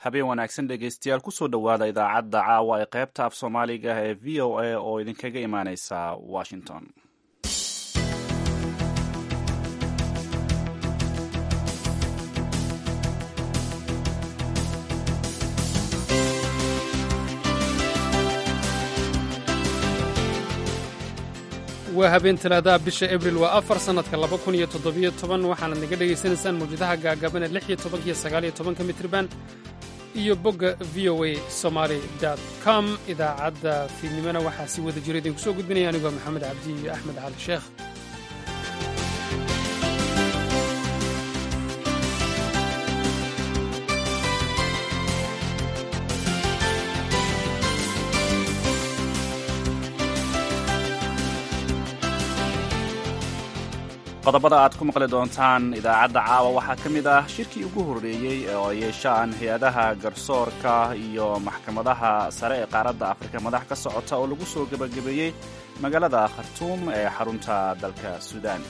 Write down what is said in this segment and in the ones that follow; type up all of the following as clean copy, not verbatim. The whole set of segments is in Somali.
Habeen wanaagsan, dhegeystayaal. Kusoo dhowaada idaacadda caawa ee qaybta af Soomaaliga ee VOA oo idinkaga imaaneysa Washington. Waa habeen Talaadaha, bisha Abril waa 4, sannadka 2017. Waxaanad naga dhegaysanaysaan mawjadaha gaagaaban ee 16-ka iyo 19-ka mitriban iyo bogga VOA Somali com. Idaacadda fiidnimona waxaa si wada jira idinku soo gudbinaya anigoo Maxamed Cabdi iyo Axmed Cali Sheekh. Qodobada aad ku maqli doontaan idaacadda caawa waxaa ka mid ah shirkii ugu horreeyey oo ay yeeshaan hay-adaha garsoorka iyo maxkamadaha sare ee qaaradda Afrika madax ka socota oo lagu soo gebagabeeyey magaalada Khartuum ee xarunta dalka Suudaan.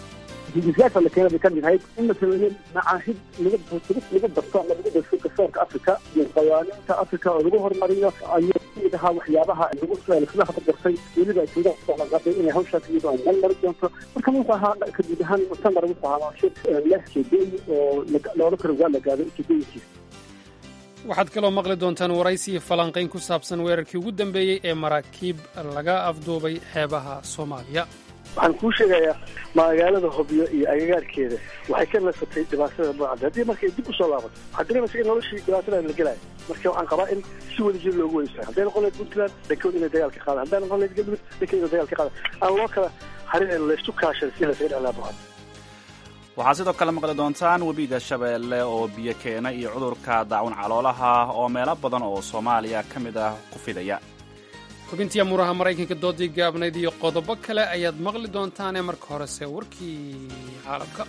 Hindisyaasha la keenay bay ka mid ahayd in la sameeyo macaahid lagu barto ama lagu darso garsoorka Afrika iyo qawaaniinta Afrika oo lagu horumariyo ayuu kamid ahaa waxyaabaha lagu isla hadgartay. Weliba suudan kusoo inay hawshaas iyadoo ay meel mari doonto. Marka wuxuu ahaa ka guud ahaan muctamar, wuxuu ahaa shir leh ujeedooyin oo loola karo waa la gaado ujeedooyinkiisa. Waxaad kaloo maqli doontaan waraysi iyo falanqayn ku saabsan weerarkii ugu dambeeyey ee maraakiib laga afduubay xeebaha Soomaaliya. Waxaan kuu sheegayaa, magaalada Hobyo iyo agagaarkeeda waxay ka nasatay dhibaatada burcadda. Haddii markay dib usoo laabato, waxaad dareemaysa in noloshii dhibaatada la gelaayo. Marka waxaan qabaa in si wada jir loogu weysa. Hadday noqon lahayd Puntland, dhankood inay dagaal ka qaadaan. Hadday noqon lahayd Galmudug, dhankood inay dagaal ka qaadaan. Aan loo kala harin, laysu kaashan si laysaga dheclaa burcadda. Waxaad sidoo kale maqli doontaan webiga Shabeelle oo biyo keena iyo cudurka daacun caloolaha oo meelo badan oo Soomaaliya ka mid ah ku fidaya. Xubintii amuuraha Maraykanka, doodii gaabnayd iyo qodobo kale ayaad maqli doontaanee marka horese warkii caalamka.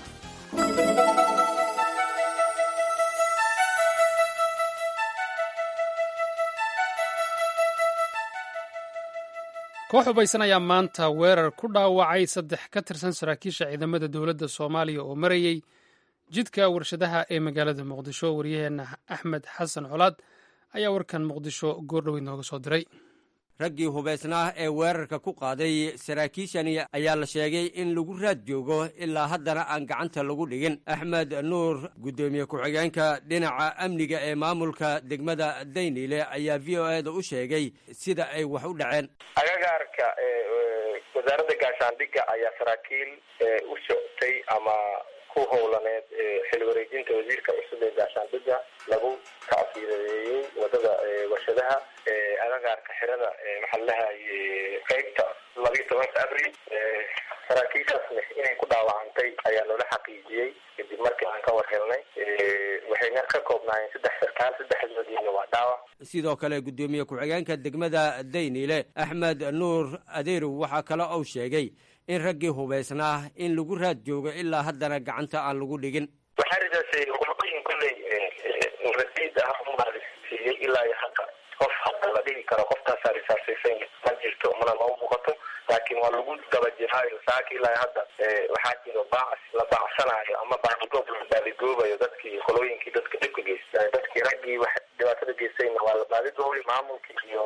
Koox hubaysan ayaa maanta weerar ku dhaawacay saddex ka tirsan saraakiisha ciidamada dowladda Soomaaliya oo marayey jidka Warshadaha ee magaalada Muqdisho. Waryaheena Axmed Xasan Colaad ayaa warkan Muqdisho goordhoweyd nooga soo diray. Raggii hubaysnaa ee weerarka ku qaaday saraakiishani ayaa la sheegay in lagu raad joogo, ilaa haddana aan gacanta lagu dhigin. Axmed Nuur, guddoomiye ku-xigeenka dhinaca amniga ee maamulka degmada Dayniile, ayaa VOA da u sheegay sida ay wax u dhaceen. Agagaarka Wasaaradda Gaashaandhigga ayaa saraakiil u socotay ama ku howlaneed xil wareejinta wasiirka cusub ee gaashaandhigga lagu tacsiireeyey wadada Warshadaha, agagaarka xirada maxaa lalahay qeybta 12-ka Abril. Saraakiishaasna inay ku dhaawacantay ayaa loola xaqiijiyey kadib markii aan ka war helnay. Waxayna ka koobnaayeen saddex sarkaal, saddexdoodiina waa dhaawac. Sidoo kale guddoomiye ku-xigeenka degmada Dayniile, Axmed Nuur Adeerow, waxaa kale uu sheegay in raggii hubaysnaa in lagu raad joogo, ilaa haddana gacanta aan lagu dhigin. Waxaa ridaasay qolqoyin kolley rasiid ah siiyey. Ilaa iyo hadda qof hadda la dhihi karo qoftaasaa risaasaysan ma jirto, mana noo muuqato, laakiin waa lagu daba jiraayo. Saaka ilaa hadda waxaa jiro baacs la baacsanaayo ama baadigoob la baadigoobayo dadkii, qolooyinkii dadka dhibka geystay. Dadkii, raggii wax dhibaatada geystayna waa la baadigoobay. Maamulkii iyo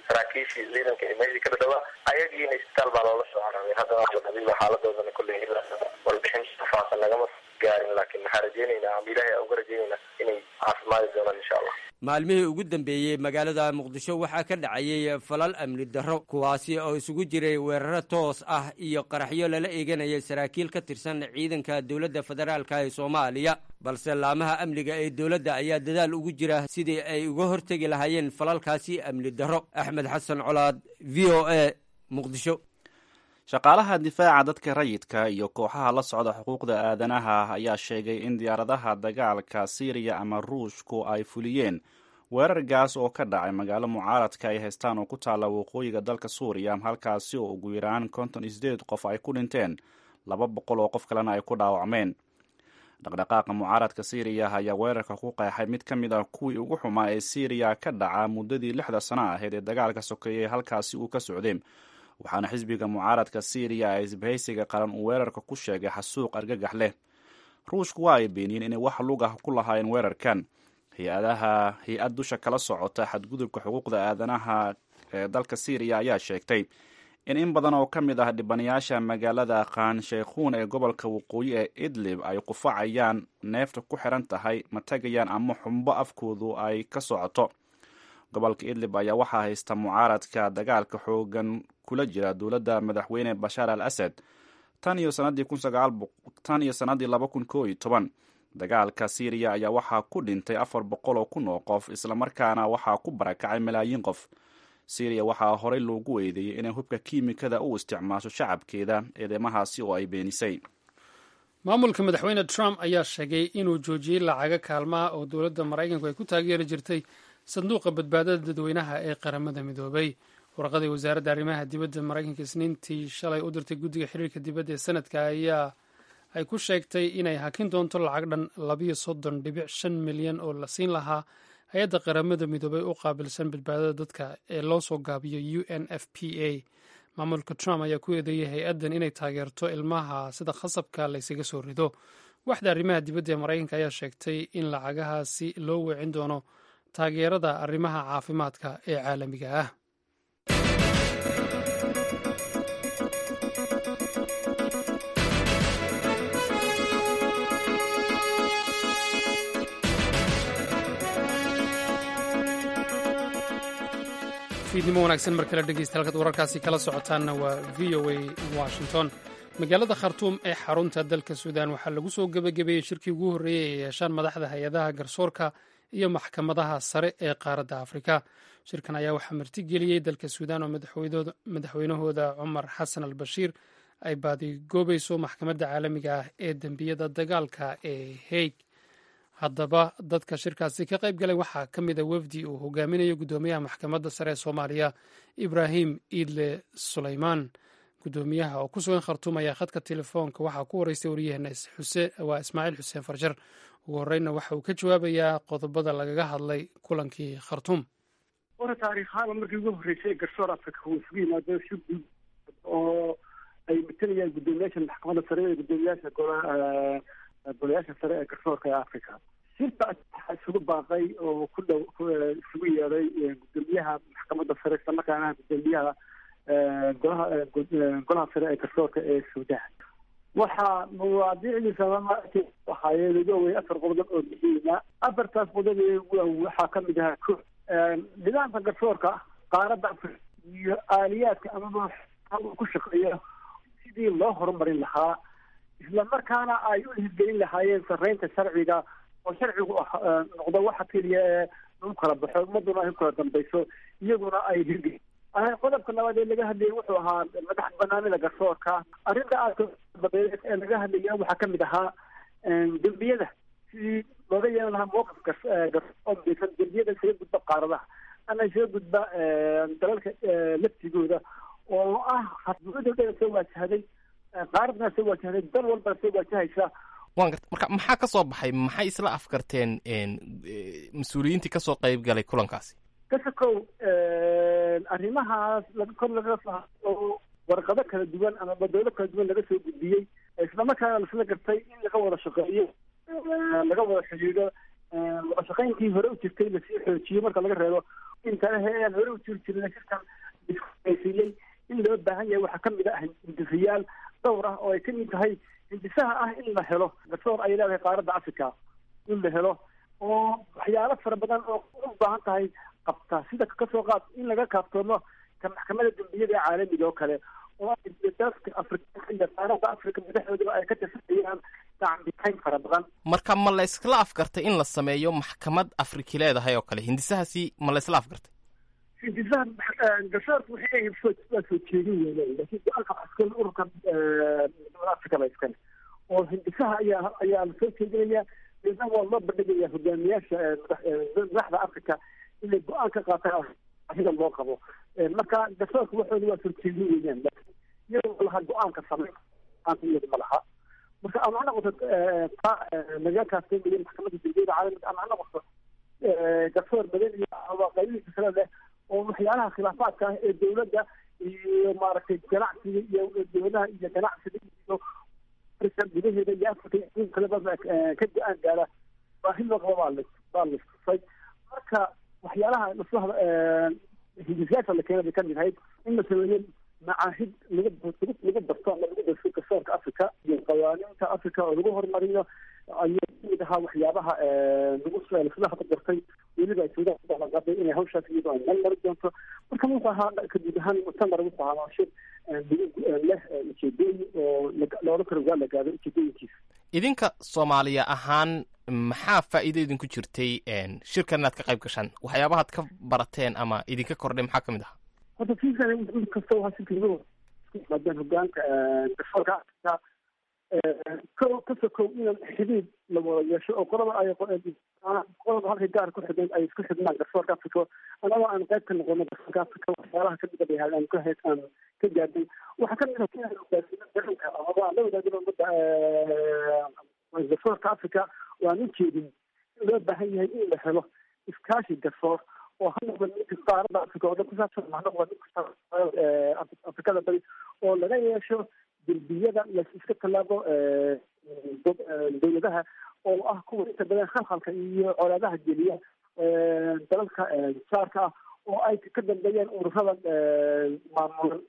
saraakiishii ciidanka ee meeshii ka dhadhawaa ayagiina isbitaal baa loola soo cararay. Haddana waa la dabiiba xaaladoodana. Kolley ilaa warbixin faahfaahsan nagama gaarin, laakiin waxaa rajeynaynaa ama Ilaahay uga rajeynaynaa inay caafimaadi doonaan, insha Allah. Maalmihii ugu dambeeyey magaalada Muqdisho waxaa ka dhacayey falal amni darro, kuwaasi oo isugu jiray weeraro toos ah iyo qaraxyo lala eeganayay saraakiil ka tirsan ciidanka dowladda federaalka ee Soomaaliya. Balse laamaha amniga ee dowladda ayaa dadaal ugu jira sidii ay uga hortegi lahaayeen falalkaasi amni darro. Axmed Xasan Colaad, VOA, Muqdisho. Shaqaalaha difaaca dadka rayidka iyo kooxaha la socda xuquuqda aadanaha ayaa sheegay in diyaaradaha dagaalka Siiriya ama Ruushku ay fuliyeen weerar gaas oo ka dhacay magaalo mucaaradka ay haystaan oo ku taalla waqooyiga dalka Suuriya, halkaasi oo ugu yaraan 58 qof ay ku dhinteen, 200 oo qof kalena ay ku dhaawacmeen. Dhaqdhaqaaqa mucaaradka Siiriya ayaa weerarka ku qeexay mid ka mid ah kuwii ugu xumaa ee Siiriya ka dhaca muddadii 6da sano ahayd ee dagaalka sokeeyey halkaasi uu ka socday. Waxaana xisbiga mucaaradka Siiriya ee Isbahaysiga Qaran uu weerarka ku sheegay xasuuq argagax leh. Ruushku waa ay beeniyeen inay wax lug ah ku lahaayeen weerarkan. Hay-adaha hay-ad dusha kala socota xadgudubka xuquuqda aadanaha ee dalka Syriya ayaa sheegtay in badan oo ka mid ah dhibanayaasha magaalada Khan Sheikhuun ee gobolka waqooyi ee Idlib ay qufacayaan, neefta ku xiran tahay, matagayaan ama xumbo afkoodu ay ka socoto. Gobolka Idlib ayaa waxaa haysta mucaaradka dagaalka xoogan kula jira dowladda madaxweyne Bashaar al Asad tan iyo sanadii 2011. Dagaalka Syriya ayaa waxaa ku dhintay 400,000 oo qof, islamarkaana waxaa ku barakacay malaayiin qof. Syriya waxaa horey loogu eedeeyey inay hubka kiimikada u isticmaasho shacabkeeda, eedeymahaasi oo ay beenisay. Maamulka madaxweyne Trump ayaa sheegay inuu joojiyey lacago kaalmaha oo dowladda Maraykanku ay ku taageeri jirtay Sanduuqa Badbaadada Dadweynaha ee Qaramada Midoobay. Warqadii wasaaradda arrimaha dibadda Maraykanka Isniintii shalay u dirtay guddiga xiriirka dibadda ee sanadka ayaa ay ku sheegtay inay hakin doonto lacag dhan 32.5 milyan oo la siin lahaa hay-adda Qaramada Midoobay u qaabilsan badbaadada dadka ee loo soo gaabiyo UNFPA. Maamulka Trump ayaa ku eedeeyey hay-addan inay taageerto ilmaha sida khasabka laysaga soo rido. Waxda arrimaha dibadda ee Maraykanka ayaa sheegtay in lacagahaasi loo weecin doono taageerada arrimaha caafimaadka ee caalamiga ah. Fiidnimo wanaagsan mar kale, dhegeysta. Halkaad wararkaasi kala socotaanna waa VOA Washington. Magaalada Khartuum ee xarunta dalka Suudaan waxaa lagu soo gebagabeeyey shirkii ugu horreeyey ee yeeshaan madaxda hay-adaha garsoorka iyo maxkamadaha sare ee qaaradda Afrika. Shirkan ayaa waxaa martigeliyey dalka Suudaan oo madaxweynahooda Cumar Xasan al Bashiir ay baadigoobayso Maxkamadda Caalamiga ah ee Dembiyada Dagaalka ee Haig. Haddaba, dadka shirkaasi ka qayb galay waxaa ka mid a wafdi uu hogaaminayo guddoomiyaha Maxkamadda Sare ee Soomaaliya, Ibraahim Iidle Sulaymaan. Guddoomiyaha oo ku sugan Khartuum ayaa khadka telefoonka waxaa ku wareystay waryaheena waa Ismaaciil Xuseen Farjar. Ugu horreynna waxa uu ka jawaabayaa qodobada lagaga hadlay kulankii Khartuum. Ora, taariikhaana markii ugu horreysay garsoor Afrika uu isugu yimaado si guud oo ay matalayaan guddoomiyaasha maxkamadda sare ee guddoomiyaasha golayaasha sare ee garsoorka ee Africa. Shirka waxaa isugu baaqay oo ku dhow isugu yeeday guddoomiyaha maxkamadda sare, islamarkaana guddoomiyaha golaha sare ee garsoorka ee Suudaan. Waxaa mawaadiicdiisa ahaayeen ugu awey afar qodob oo muhiima. Afartaas qodob waxaa kamid ahaa ko, nidaamka garsoorka qaaradda Afrika iyo aaliyaadka amaba ku shaqeeya sidii loo horumarin lahaa, islamarkaana ay u hirgelin lahaayeen sarreynta sharciga, oo sharcigu noqdo waxa keliya ee lagu kala baxo, ummaduna ay ku kala dambayso, iyaguna ay hirgelin. Qodobka labaad ee laga hadlayay wuxuu ahaa madax banaanida garsoorka. Arrinta aadka ee laga hadlaya waxaa kamid ahaa dembiyada, sidii looga yeelan lahaa mowqif oo midaysan dembiyada isaga gudba qaaradaha ama isaga gudba dalalka laftigooda, oo ah xadgudubada dhan soo waajahday qaaradna, soo waajahday dal walbana soo waajahaysa. Waan garta. Marka maxaa ka soo baxay? Maxay isla afkarteen mas-uuliyiintii kasoo qayb galay kulankaasi? Kasakow arrimahaas kor laga oo warqado kala duwan ama badowlo kala duwan laga soo gudbiyey, islamarkaana laisla gartay in laga wada shaqeeyo, laga wada xidhiidho, wada shaqeynkii hore u jirtay lasii xoojiyo, marka laga reebo inta aan hore u jiri jirin shirkan siiyey in loo baahan yahay. Waxaa kamid ah hindisayaal dhowr ah oo ay kamid tahay hindisaha ah in la helo garsoor ay leedahay qaaradda Africa, in la helo oo waxyaalo fara badan oo u baahan tahay qabta, sida kasoo qaad in laga kaaftoomo ka Maxkamadda Dambiyada ee Caalamiga oo kale, oo dalka Afrika iyo qaaradda Afrika madaxdoodaba ay ka tirsanayaan gacanbixayn fara badan. Marka ma la iskala afgartay in la sameeyo maxkamad Afriki leedahay oo kale? Hindisahaasi ma la isla afgartay? Hindisaha garsoorka waxay leeyihiin waa soo jeedin weyn, laakiin go-aanka waxaa iskale ururka midnimada Afrika ba iskale, oo hindisaha ayaa la soo jeedinaya, deedna waa loo bandhigaya hogaamiyaasha madaxda Africa inay go-aan ka qaataan arida loo qabo. Marka garsoorka waxooda waa soo jeedin weeyaan, laakiin iyadoo laha go-aanka sameyn iyadu ma laha. Marka ama ha noqoto taa laga kaaftoomayo Maxkamadda Dambiyada Caalamiga, ama ha noqoto garsoor badan iyo qaybihiisa kale leh oo waxyaalaha khilaafaadka ah ee dowladda iyo maaragtay ganacsiga iyo dowladaha iyo ganacsiga iyo Afrika gudaheeda iyo Afrika iyo kaleba ka go-aan gaara, baahi loo qabo baa Baa la istusay. Marka waxyaalaha laisla hindisayaasha la keenay bay kamid ahayd in la sameeyo macaahid lagu barto ama lagu darso garsoorka Africa iyo qawaaniinta Africa oo lagu horumariyo ayuu kamid ahaa waxyaabaha lagu laisla hadgartay. Weliba ay Suudaan ku ballanqaaday inay hawshaas iyadoo ay meel mari doonto. Marka wuxuu ahaa ka guud ahaan muctamar, wuxuu ahaa shir lagu leh ujeedooyin oo loola karo waa la gaado ujeedooyinkiisa. Idinka Soomaaliya ahaan, maxaa faa'iido idinku jirtay shirkan inaad ka qayb gashaan? Waxyaabahaad ka barateen ama idinka kordhay maxaa ka mid ahaa? Horta fiikan mid kasta waxaa shirka lagu isku yimaadeen hogaanka garsoorka Afrika ko ka sokow inaan xidhiid la wada yeesho oo qolaba ay qolaba halkay gaar ku xidhnayd ay isku xidhnaan garsoorka Afrika, anagoo aan qayb ka noqono garsoorka Afrika. Waxyaalaha kamid a bay ahayd aan ka aan ka gaadhay waxaa kamid ah inaan hogaasino dareenka amaba aan la wadaagno ummadda garsoorka Africa oo aan u jeedin in loo baahan yahay in la helo iskaashi garsoor oo ha noqdo midka qaaradda Afrika oo dhan ku saabsan, ha noqdo midka Afrikada Bari, oo laga yeesho derbiyada la iska tallaabo dowladaha oo ah kuwa inta badan khalkhalka iyo colaadaha geliya dalalka jaarka ah, oo ay ka dambeeyeen ururada maamulan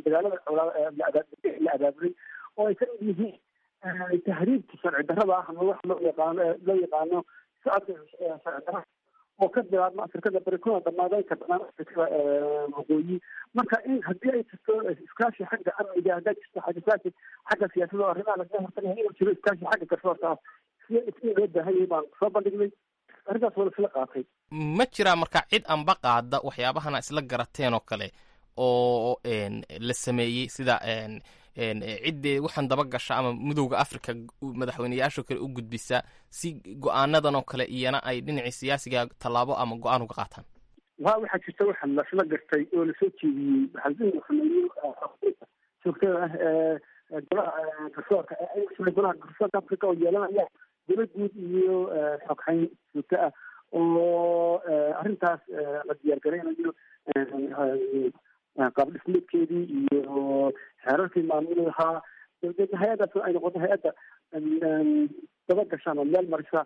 dagaalada la abaabulay, oo ay ka mid yihiin tahriibka sharci darrada ah ama waxa loo yaqaano socodka sharci darrada oo ka bilaabma Afrikada Bari kuna dhamaada inta badan Afrikada Waqooyi. Marka in haddii ay jirto iskaashi xagga amniga, hadday jirto xagga iskaashi xagga siyaasadda oo arrimaha lagaga hortagaya, inuu jiro iskaashi xagga garsoorka ah si in loo baahan yahay baan soo bandhignay. Arrintaas waa laisla qaatay. Ma jiraa marka cid anba qaada waxyaabahana isla garateen oo kale oo la sameeyey, sida ciddee waxaan daba gasha ama Midowda Africa madaxweyneyaashoo kale u gudbisa, si go-aanadan oo kale iyana ay dhinacii siyaasiga tallaabo ama go-aan uga qaataan? Wa waxaa jirta waxa lasla gartay oo lasoo jeediyey waxaa in la sameeyo joogtada ah ee golaha garsoorka, golaha garsoorka Africa oo yeelanaya golo guud iyo xoghayn joogto ah, oo arrintaas la diyaar garaynayo qaab dhismeedkeedii iyo xeerarkii maamuli lahaa. Dabadeedna hay-addaas ay noqoto hay-adda daba gasha ama meel marisa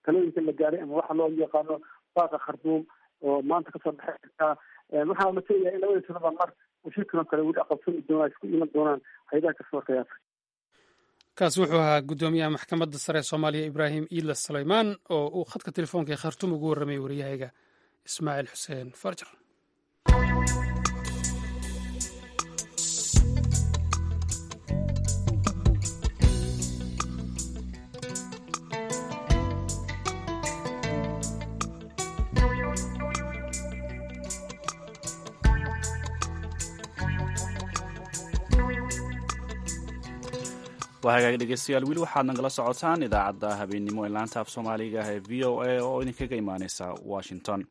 talooyinka la gaaray ama waxa loo yaqaano Baaqa Kharduum oo maanta kasoo baxay kartaa. Waxaa la filayaa in labadii sanaba mar uu shirkan oo kale weli aqoonsami doonaa, isku iman doonaan hay-adaha garsoorka ee Afrika. Kaasi wuxuu ahaa guddoomiyaha Maxkamadda Sare ee Soomaaliya, Ibraahim Iidla Sulaymaan, oo uu khadka telefoonka ee Khartuum ugu warramayay waryahayga Ismaaciil Xuseen Farjar. Waa hagaag, dhegeystayaal, weli waxaad nagala socotaan idaacadda habeennimo ee laanta af Soomaaliga ee VOA oo idinkaga imaaneysa Washington.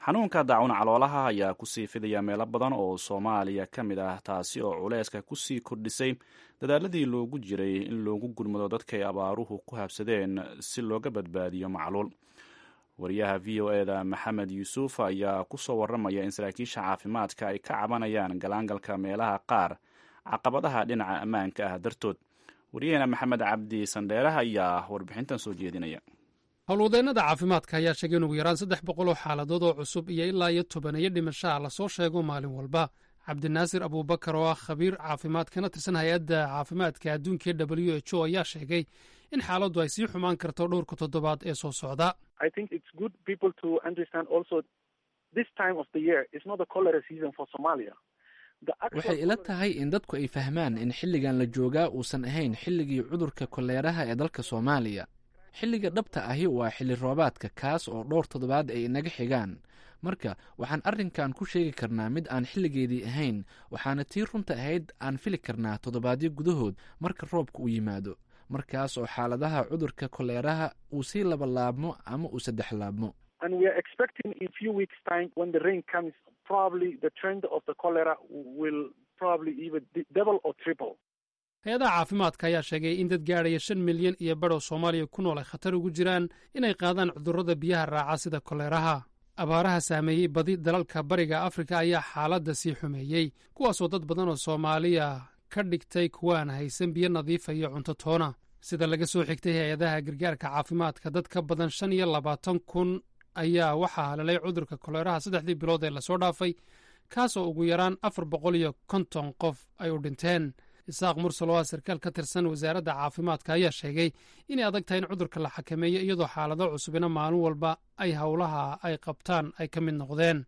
Xanuunka daacun caloolaha ayaa kusii fidaya meelo badan oo Soomaaliya ka mid ah, taasi oo culeyska kusii kordhisay dadaaladii loogu jiray in loogu gurmado dadkay abaaruhu ku habsadeen si looga badbaadiyo macluul. Wariyaha VOA da Maxamed Yuusuf ayaa kusoo waramaya in saraakiisha caafimaadka ay ka cabanayaan galaangalka meelaha qaar caqabadaha dhinaca ammaanka ah dartood. Wariyaheena Maxamed Cabdi Sandheeraha ayaa warbixintan soo jeedinaya. Howlwadeennada caafimaadka ayaa sheegay in ugu yaraan 300 oo xaaladood oo cusub iyo ilaa iyo 10 dhimashaa lasoo sheego maalin walba. Cabdinaasir Abuubakar oo ah khabiir caafimaad kana tirsan Hay-adda Caafimaadka Adduunka ee WHO ayaa sheegay in xaaladdu ay sii xumaan karto dhowrka toddobaad ee soo socda. I think it's good people to understand also this time of the year is not a cholera season for Somalia. The actual Waxay ila tahay in dadku ay fahmaan in xilligan la joogaa uusan ahayn xilligii cudurka koleeraha ee dalka Soomaaliya. Xilliga dhabta ahi waa xilli roobaadka, kaas oo dhowr toddobaad ay inaga xigaan. Marka waxaan arrinkan ku sheegi karnaa mid aan xilligeedii ahayn, waxaana tii runta ahayd aan fili karnaa toddobaadyo gudahood marka roobka uu yimaado, markaas oo xaaladaha cudurka koleeraha uu sii labalaabmo ama uu saddex laabmo. And we are expecting in few weeks time, when the rain comes, probably the trend of the cholera will probably even double or triple. Hay-adaha caafimaadka ayaa sheegay in dad gaadhaya 5.5 milyan oo Soomaaliya ku nool ay khatar ugu jiraan inay qaadaan cudurrada biyaha raaca sida koleeraha. Abaaraha saameeyey badi dalalka Bariga Afrika ayaa xaaladda sii xumeeyey, kuwaasoo dad badan oo Soomaaliya ka dhigtay kuwaan haysan biyo nadiifa iyo cunto toona. Sida laga soo xigtay hay-adaha gargaarka caafimaadka, dad ka badan 25,000 ayaa waxaa haleelay cudurka koleeraha 3dii bilood ee lasoo dhaafay, kaasoo ugu yaraan 450 qof ay u dhinteen. Isaaq Mursal oo ah sarkaal ka tirsan wasaaradda caafimaadka ayaa sheegay inay adag tahay in cudurka la xakameeyo, iyadoo xaalado cusubina maalin walba ay howlaha ay qabtaan ay ka mid noqdeen.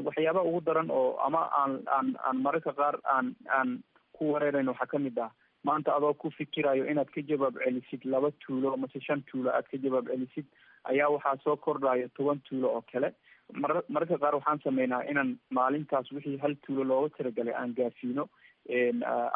Waxyaabaha ugu daran oo ama aan mararka qaar aan ku wareerayn waxaa ka mid ah, maanta adoo ku fikirayo inaad ka jawaab celisid laba tuulo mase shan tuulo aad ka jawaab celisid, ayaa waxaa soo kordhayo 10 tuulo oo kale. Mararka qaar waxaan sameynaa inaan maalintaas wixii hal tuulo looga talagalay aan gaarsiino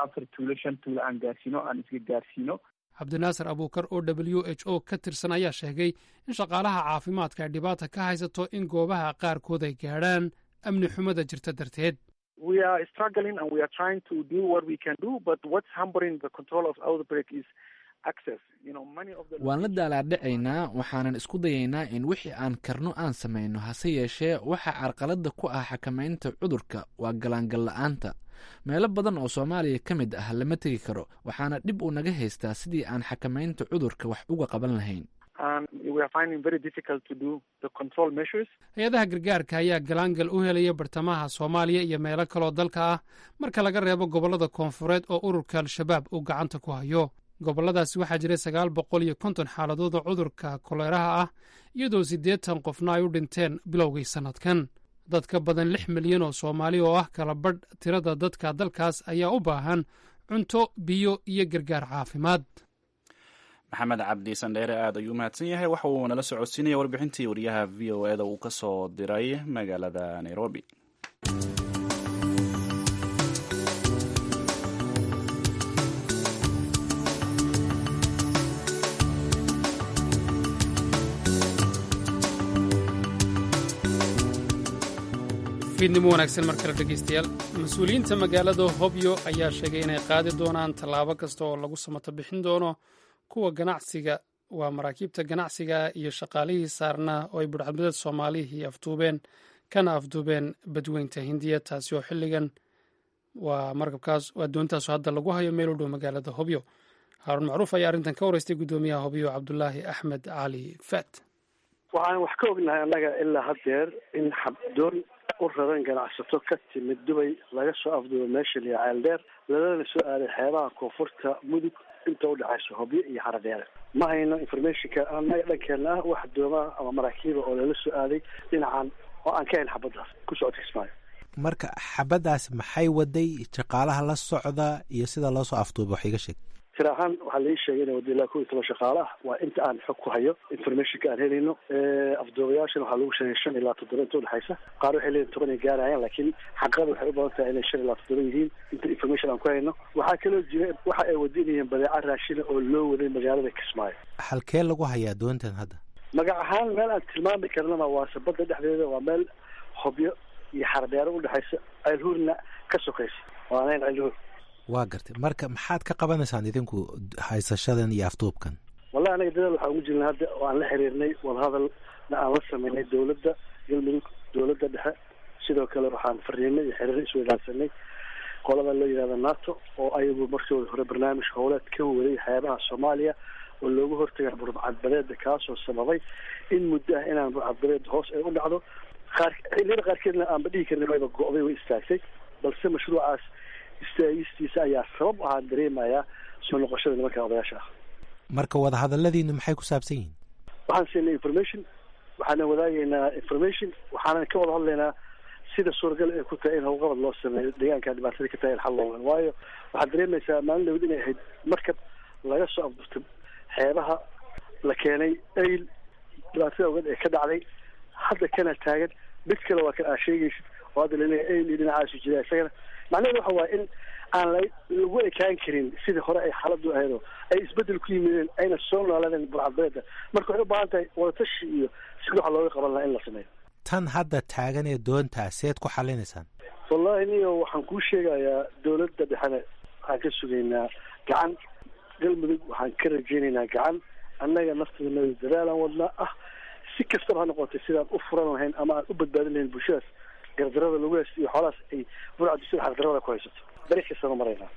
afar tuulo, shan tuulo aan gaarsiino, aan isga gaarsiino. Cabdinaasir Abuukar oo WHO ka tirsan ayaa sheegay in shaqaalaha caafimaadka ay dhibaata ka haysato in goobaha qaarkood ay gaadhaan amni xumada jirta darteed. We are struggling and we are trying to do what we can do, but what's hampering the control of outbreak is access. Many of the Waan la daalaadhacaynaa, waxaanan isku dayaynaa in wixii aan karno aan samayno. Hase yeeshee, waxa carqaladda ku ah xakamaynta cudurka waa galaangal la'aanta. Meelo badan oo Soomaaliya ka mid ah lama tegi karo, waxaana dhib uu naga haystaa sidii aan xakamaynta cudurka wax uga qaban lahayn. And we are finding very difficult to do the control measures. Hay-adaha gargaarka ayaa galaangal u helaya bartamaha Soomaaliya iyo meelo kaloo dalka ah, marka laga reebo gobollada koonfureed oo ururka Al-Shabaab uu gacanta ku hayo. Gobolladaasi waxaa jiray 950 xaaladood oo cudurka koleeraha ah, iyadoo 80 qofna ay u dhinteen bilowgii sannadkan. Dad ka badan 6 milyan oo Soomaali oo ah kala badh tirada dadka dalkaas ayaa u baahan cunto, biyo iyo gargaar caafimaad. Maxamed Cabdi Sandheere aad ayuu mahadsan yahay. Waxa uu nala socodsiinaya warbixintii wariyaha VOA da uu ka soo diray magaalada Nairobi. Fiidnimo wanaagsan mar kale, dhegeystayaal. Mas-uuliyiinta magaalada Hobyo ayaa sheegay inay qaadi doonaan tallaabo kasta oo lagu samato bixin doono kuwa ganacsiga, waa maraakiibta ganacsiga iyo shaqaalihii saarnaa oo ay budhcadbadeed Soomaalihii afduubeen kana afduubeen Badweynta Hindiya, taasi oo xilligan waa markabkaas, waa doontaasu hadda lagu hayo meel u dhow magaalada Hobyo. Haaruun Macruuf ayaa arrintan ka wareystay guddoomiyaha Hobyo, Cabdulaahi Axmed Cali Faat. Waxaan wax ka ognahay annaga ilaa haddeer in xabdoon u raran ganacsato ka timid Dubay laga soo afduubo meesha liya Ceeldheer, lalana soo aaday xeebaha koonfurta Mudug inta udhexaysa Hobyo iyo Xaradheere. Ma hayno informationka annaga dhankeena ah wax doomaa ama maraakiiba oo lala soo aaday dhinacan oo aan ka hayn xabaddaas ku socodka Kismaayo. Marka xabaddaas maxay waday, shaqaalaha la socda iyo sida loo soo afduuba, wax iga sheeg. Tira ahaan waxaa lai sheegay inay wada ilaa 11 shaqaale ah, waa inta aan xog ku hayo informationka aan helayno. Afduubayaashana waxaa lagu sheegay shan ilaa toddoba inta udhexaysa. Qaar waxay leeyihin 10 ay gaarayaan, laakiin xaqada waxay u badan tahay inay shan ilaa toddoba yihiin inta information aan ku hayno. Waxaa kaloo jira waxa ay wadinayeen badeeca raashina oo loo waday magaalada Kismaayo. Halkee lagu hayaa doontan hadda? Magac ahaan meel aan tilmaami karnaba waase badda dhexdeeda, waa meel Hobyo iyo Xardheero udhexaysa, Ceelhuurna ka sokaysa, waanayn Ceelhuur. Waa gartay. Marka maxaad ka qabanaysaan idinku haysashadan iyo afduubkan? Wallahi anaga dadaal waxaan ugu jirnay hadda oo aan la xiriirnay, wadahadalna aan la sameynay dowladda Galmudug, dowladda dhexe. Sidoo kale waxaan fariinay iyo xiriir isweydaarsanay qolada loo yihahda NATO, oo ayagu markooda hore barnaamij howleed ka waday xeebaha Soomaaliya oo loogu hortagay burcadbadeeda, kaasoo sababay in muddo ah inaan burcadbadeed hoos ay u dhacdo, qaar xilliyada qaarkeedna aanba dhihi karnin wayba go'day, way istaagtay. Balse mashruucaas istaagistiisa ayaa sabab ahaan dareemayaa soo noqoshada nimanka odayaasha ah. Marka wadahadaladiinu maxay ku saabsan yihiin? Waxaan siinay information, waxaana wadaagaynaa information, waxaanan ka wada hadlaynaa sida suuragal ay ku tahay in howlqabad loo sameeyo deegaanka dhibaatada ka tahay in xal loo helo. Waayo waxaad dareemaysaa maalin dhawd inay ahayd markab laga soo afduurtay xeebaha la keenay Eyl, dhibaatada ogeed ee ka dhacday, hadda kana taagan mid kale waa kan aa sheegaysid oo hadda laleeyahay Eyl iyo dhinacaasu jira isagana. Macnaheedu waxa waaye in aan lagu ekaan karin sidii hore ay xaaladdu ahaydoo ay isbeddel ku yimideen, ayna soo noolaadeen burcadbadeeda. Marka waxay u baahan tahay wadatashi iyo sidii waxa looga qaban lahaa in la sameeyo. Tan hadda taagan ee doontaa seed ku xalinaysaan? Wallahi niyo, waxaan kuu sheegayaa dowladda dhexena waxaan ka sugaynaa gacan, Galmudug waxaan ka rajaynaynaa gacan. Annaga nafteedana dadaalaan wadnaa ah si kastaba ha noqotay sidaan u furan lahayn ama aan u badbaadin lahayn bulshadaas gardarada lagu haysto iyo xoolahaas ay burcaddu sida xaqdarada ku haysato. Dariiq kastaba maraynaa.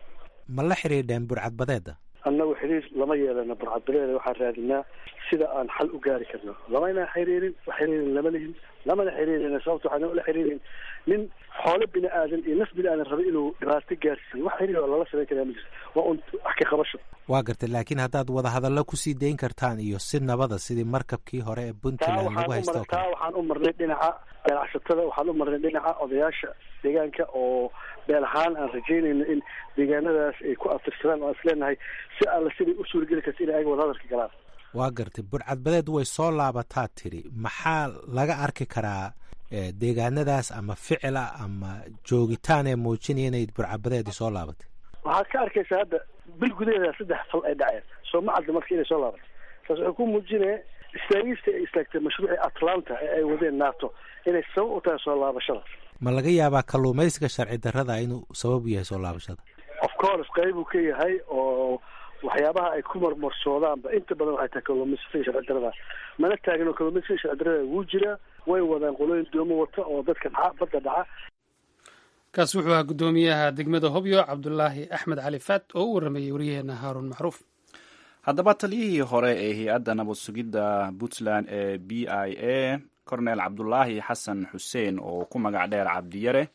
Ma la xidhiidheen burcadbadeeda? Annagu xiriir lama yeelano burcadbadeeda, waxaan raadinaa sida aan xal u gaari karno. Lamayna xiriirin, wax xiriirin lama lihin, lamana xiriirina. Sababta waxaan la xiriirin nin xoolo bini aadan iyo naf bini aadan raba inuu dhibaato gaarsiiyo, wax xiriir oo lala samayn karaa ma jirto, waa un wax ka qabasho. Waa gartay, laakiin haddaad wadahadallo kusii dayn kartaan iyo si nabada sidii markabkii hore ee Puntland lagu haysto. Taa waxaan u marnay dhinaca ganacsatada, waxaan u marnay dhinaca odayaasha deegaanka oo beel ahaan aan rajaynayno in deegaanadaas ay ku abtirsadaan, oo aan isleenahay si alla siday u suurageli karta inay ayaga wadahadalka galaan. Waa gartay, burcadbadeed way soo laabataa tiri, maxaa laga arki karaa deegaanadaas ama ficila ama joogitaan ee muujinaya inay burcadbadeedi soo laabatay? Waxaad ka arkaysaa hadda bil gudaheeda 3 fal ay dhaceen, soo ma cadda marka inay soo laabatay. Taas waxay ku muujinaya istaagista ay istaagtay mashruucii Atlanta ee ay wadeen NATO inay sabab u tahay soo laabashada. Ma laga yaabaa kalluumaysiga sharci darrada inuu sabab u yahay soo laabashada? Of course, qeybuu ka yahay, oo waxyaabaha ay ku marmarsoodaanba inta badan waxay tahay kalluumaysiga sharci darrada. Mana taagno, kalluumaysiga sharci darrada wuu jiraa, way wadaan qolooyin doomo wata oo dadka dhaca badda dhaca. Kaasi wuxuu ahaa guddoomiyaha degmada Hobyo, Cabdulaahi Axmed Cali Faat, oo u warramayey waryaheena Haaruun Macruuf. Haddaba taliyihii hore ee hay-adda nabad sugidda Puntland ee BIA, Cornel Cabdulaahi Xasan Xuseen oo ku magac dheer Cabdiyare,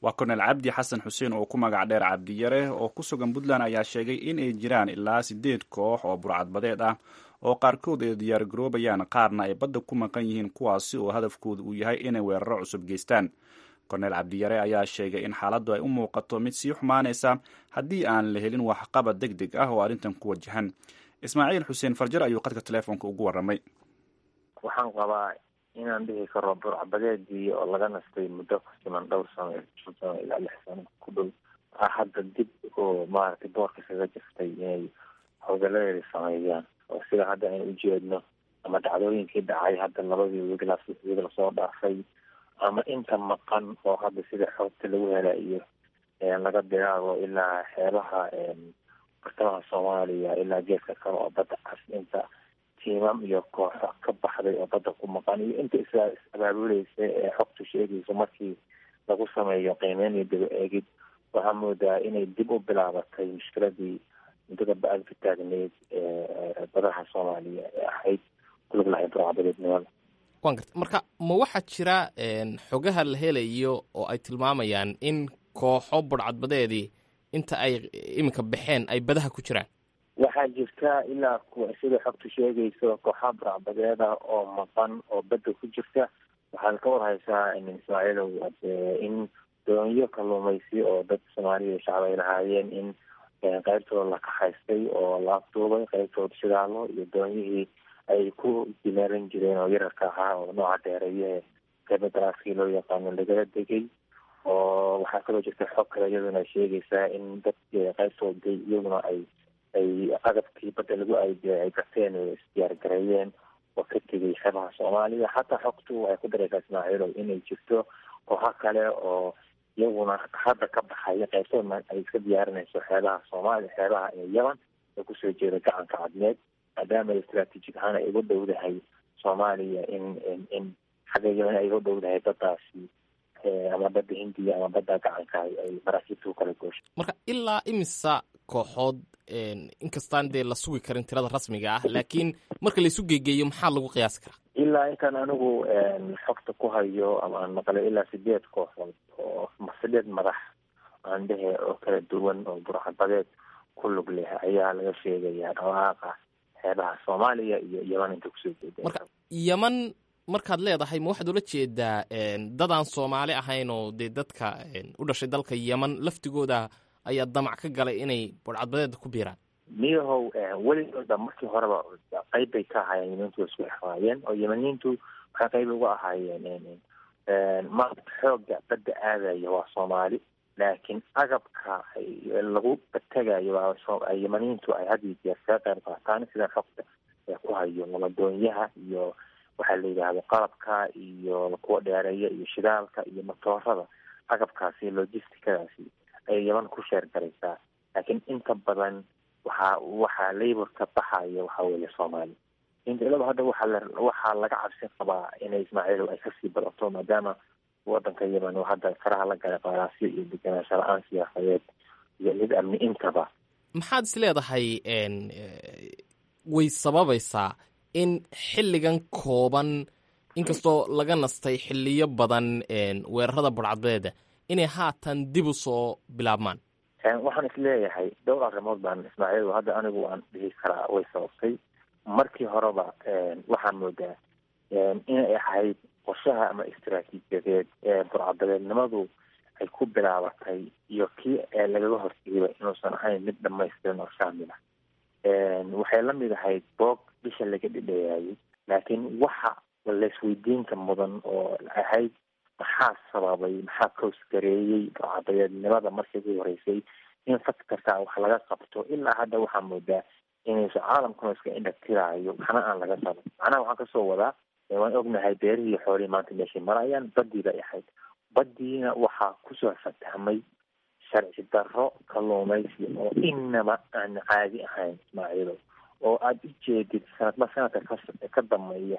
waa Cornel Cabdi Xasan Xuseen oo ku magac dheer Cabdiyare, oo ku sugan Puntland, ayaa sheegay in ay jiraan ilaa 8 koox oo burcadbadeed ah oo qaarkood ay diyaargaroobayaan, qaarna ay badda ku maqan yihiin, kuwaasi oo hadafkooda uu yahay inay weeraro cusub geystaan. Cornel Cabdiyare ayaa sheegay in xaaladdu ay u muuqato mid sii xumaanaysa haddii aan la helin waxqabad deg deg ah oo arrintan ku wajahan. Ismaaciil Xuseen Farjar ayuu qadka telefoonka ugu warramay. Waxaan qabaa inaan dhihi karo burcbadeedii oo laga nastay muddo ku siman dhowr sano, 5 sano ilaa 6 sano ku dhow, hadda dib oo maaragtay boorka kaga jirtay inay howlgaladeeda sameeyaan, oo sida hadda aynu ujeedno ama dhacdooyinkii dhacay hadda labadii wiig lasoo dhaafay ama inta maqan oo hadda sida xogta lagu helayo laga bilaabo ilaa xeebaha bartamaha Soomaaliya ilaa geeska kale oo badda cas, inta tiimam iyo kooxo ka baxday oo badda ku maqan iyo inta is abaabulaysa ee xogtu sheegayso, markii lagu sameeyo qiimeyn iyo daba eegid, waxaa moodaa inay dib u bilaabatay mushkiladii muddada ba-ad ka taagneyd ee badaha Soomaaliya ee ahayd kulug lahayd burcadbadeednimada. Waan garta. Marka ma waxaa jira xogaha la helayo oo ay tilmaamayaan in kooxo burcadbadeedii inta ay iminka baxeen ay badaha ku jiraan? Waxaa jirta ilaa sida xogtu sheegayso kooxaha burcadbadeeda oo maqan oo badda ku jirta. Waxaad ka warhaysaa, Ismaaciilow, in doonyo kalluumaysi oo dad Soomaaliya shacab ay lahaayeen in qaybtooda la kaxaystay oo la afduubay, qaybtooda shidaalo iyo doonyihii ay ku dimeeran jireen oo yararka ahaa oo nooca dheereeyahe qeyba daraaskii loo yaqaano lagala degay. Oo waxaa kaloo jirta xog kale iyaduna sheegaysaa in dad qaybtooda iyaguna ay agabkii badda lagu ay gateen oo isdiyaargareeyeen oo ka tegay xeebaha Soomaaliya. Xataa xogtu waxay ku daraysaa, Ismaaciilow, inay jirto kooxo kale oo iyaguna hadda ka baxaya, qaybtoodna ay iska diyaarinayso xeebaha Soomaaliya, xeebaha Yemen oo kusoo jeeda gacanka Cadmeed, maadaama istraatiijig ahaan ay uga dhowdahay Soomaaliya in xagga Yemen ay uga dhowdahay baddaasi ama badda Hindiya ama badda gacanka ay maraakiibta ku kala goosho. Marka ilaa imisa kooxood, inkastaan dee la sugi karin tirada rasmiga ah, laakiin marka laisu geegeeyo maxaa lagu qiyaasi karaa? Ilaa intaan anigu xogta ku hayo ama aan maqlay, ilaa 8 kooxood oo 8 madax aan dhehe oo kala duwan oo burcadbadeed ku lug leh ayaa laga sheegayaa dhawaaqa xeebaha Soomaaliya iyo Yeman inta kusoo jeeda. Marka Yeman markaad leedahay, ma waxaad ula jeedaa dadaan Soomaali ahayn oo dee dadka u dhashay dalka Yeman laftigooda ayaa damac ka galay inay burcadbadeeda ku biiraan? Miyahow, weligooda markii horeba qayb bay ka ahaayeen. Yemaniintu way isku exraayeen oo Yemaniintu waxay qayb uga ahaayeen. Maanta xoogga badda aadaya waa Soomaali, laakiin agabka lagu bategayo waa Yemaniintu ay had iyo jeer kaga qayb qaataan, sida xogta ku hayo waladoonyaha iyo waxaa la yidhaahdo qalabka iyo kuwa dheereeya iyo shidaalka iyo matoorada, agabkaasi logisticadaasi ayay Yeman ku sheer garaysaa. Laakiin inta badan waxaa laborka baxaya waxaa weeye Soomaali. Inta hadda waxaa laga cabsi qabaa inay, Ismaaciilow, ay kasii badato, maadaama wadanka Yemen uu hadda faraha la galay qaraasyo iyo degenaansho la-aan siyaasadeed iyo mid amni intaba. Maxaad is leedahay way sababaysaa in xilligan kooban, inkastoo laga nastay xilliyo badan weerarada burcadbadeeda, inay haatan dib u soo bilaabmaan? Waxaan isleeyahay dhowr arrimood baan, Ismaaciil, hadda anigu waan dhihi karaa way sababtay. Markii horeba waxaan moodaa inay ahayd qorshaha ama istaraatiijiyadeed ee burcadbadeednimadu ay ku bilaabatay iyo kii lagaga hortegayba inuusan ahayn mid dhamaystiran oo shaamil ah. Waxay la mid ahayd boog bisha laga dhidheeyaayay, laakiin waxa laisweydiinka mudan oo ahayd maxaa sababay, maxaa koosgareeyey burcadbadeednimada markii ugu horeysay in faktarkaa wax laga qabto? Ilaa hadda waxaa moodaa inaysu caalamkuna iska indhatiraayo, waxna aan laga qaban. Macnaha waxaan kasoo wadaa, waan ognahay beerihii xoolihii maanta meeshay marayaan. Badii bay ahayd, badiina waxaa kusoo fatahmay sharci darro kalluumaysi oo inaba aan caadi ahayn, Ismaaciilo, oo aada u jeedid sanadba sanadka ka dambeeya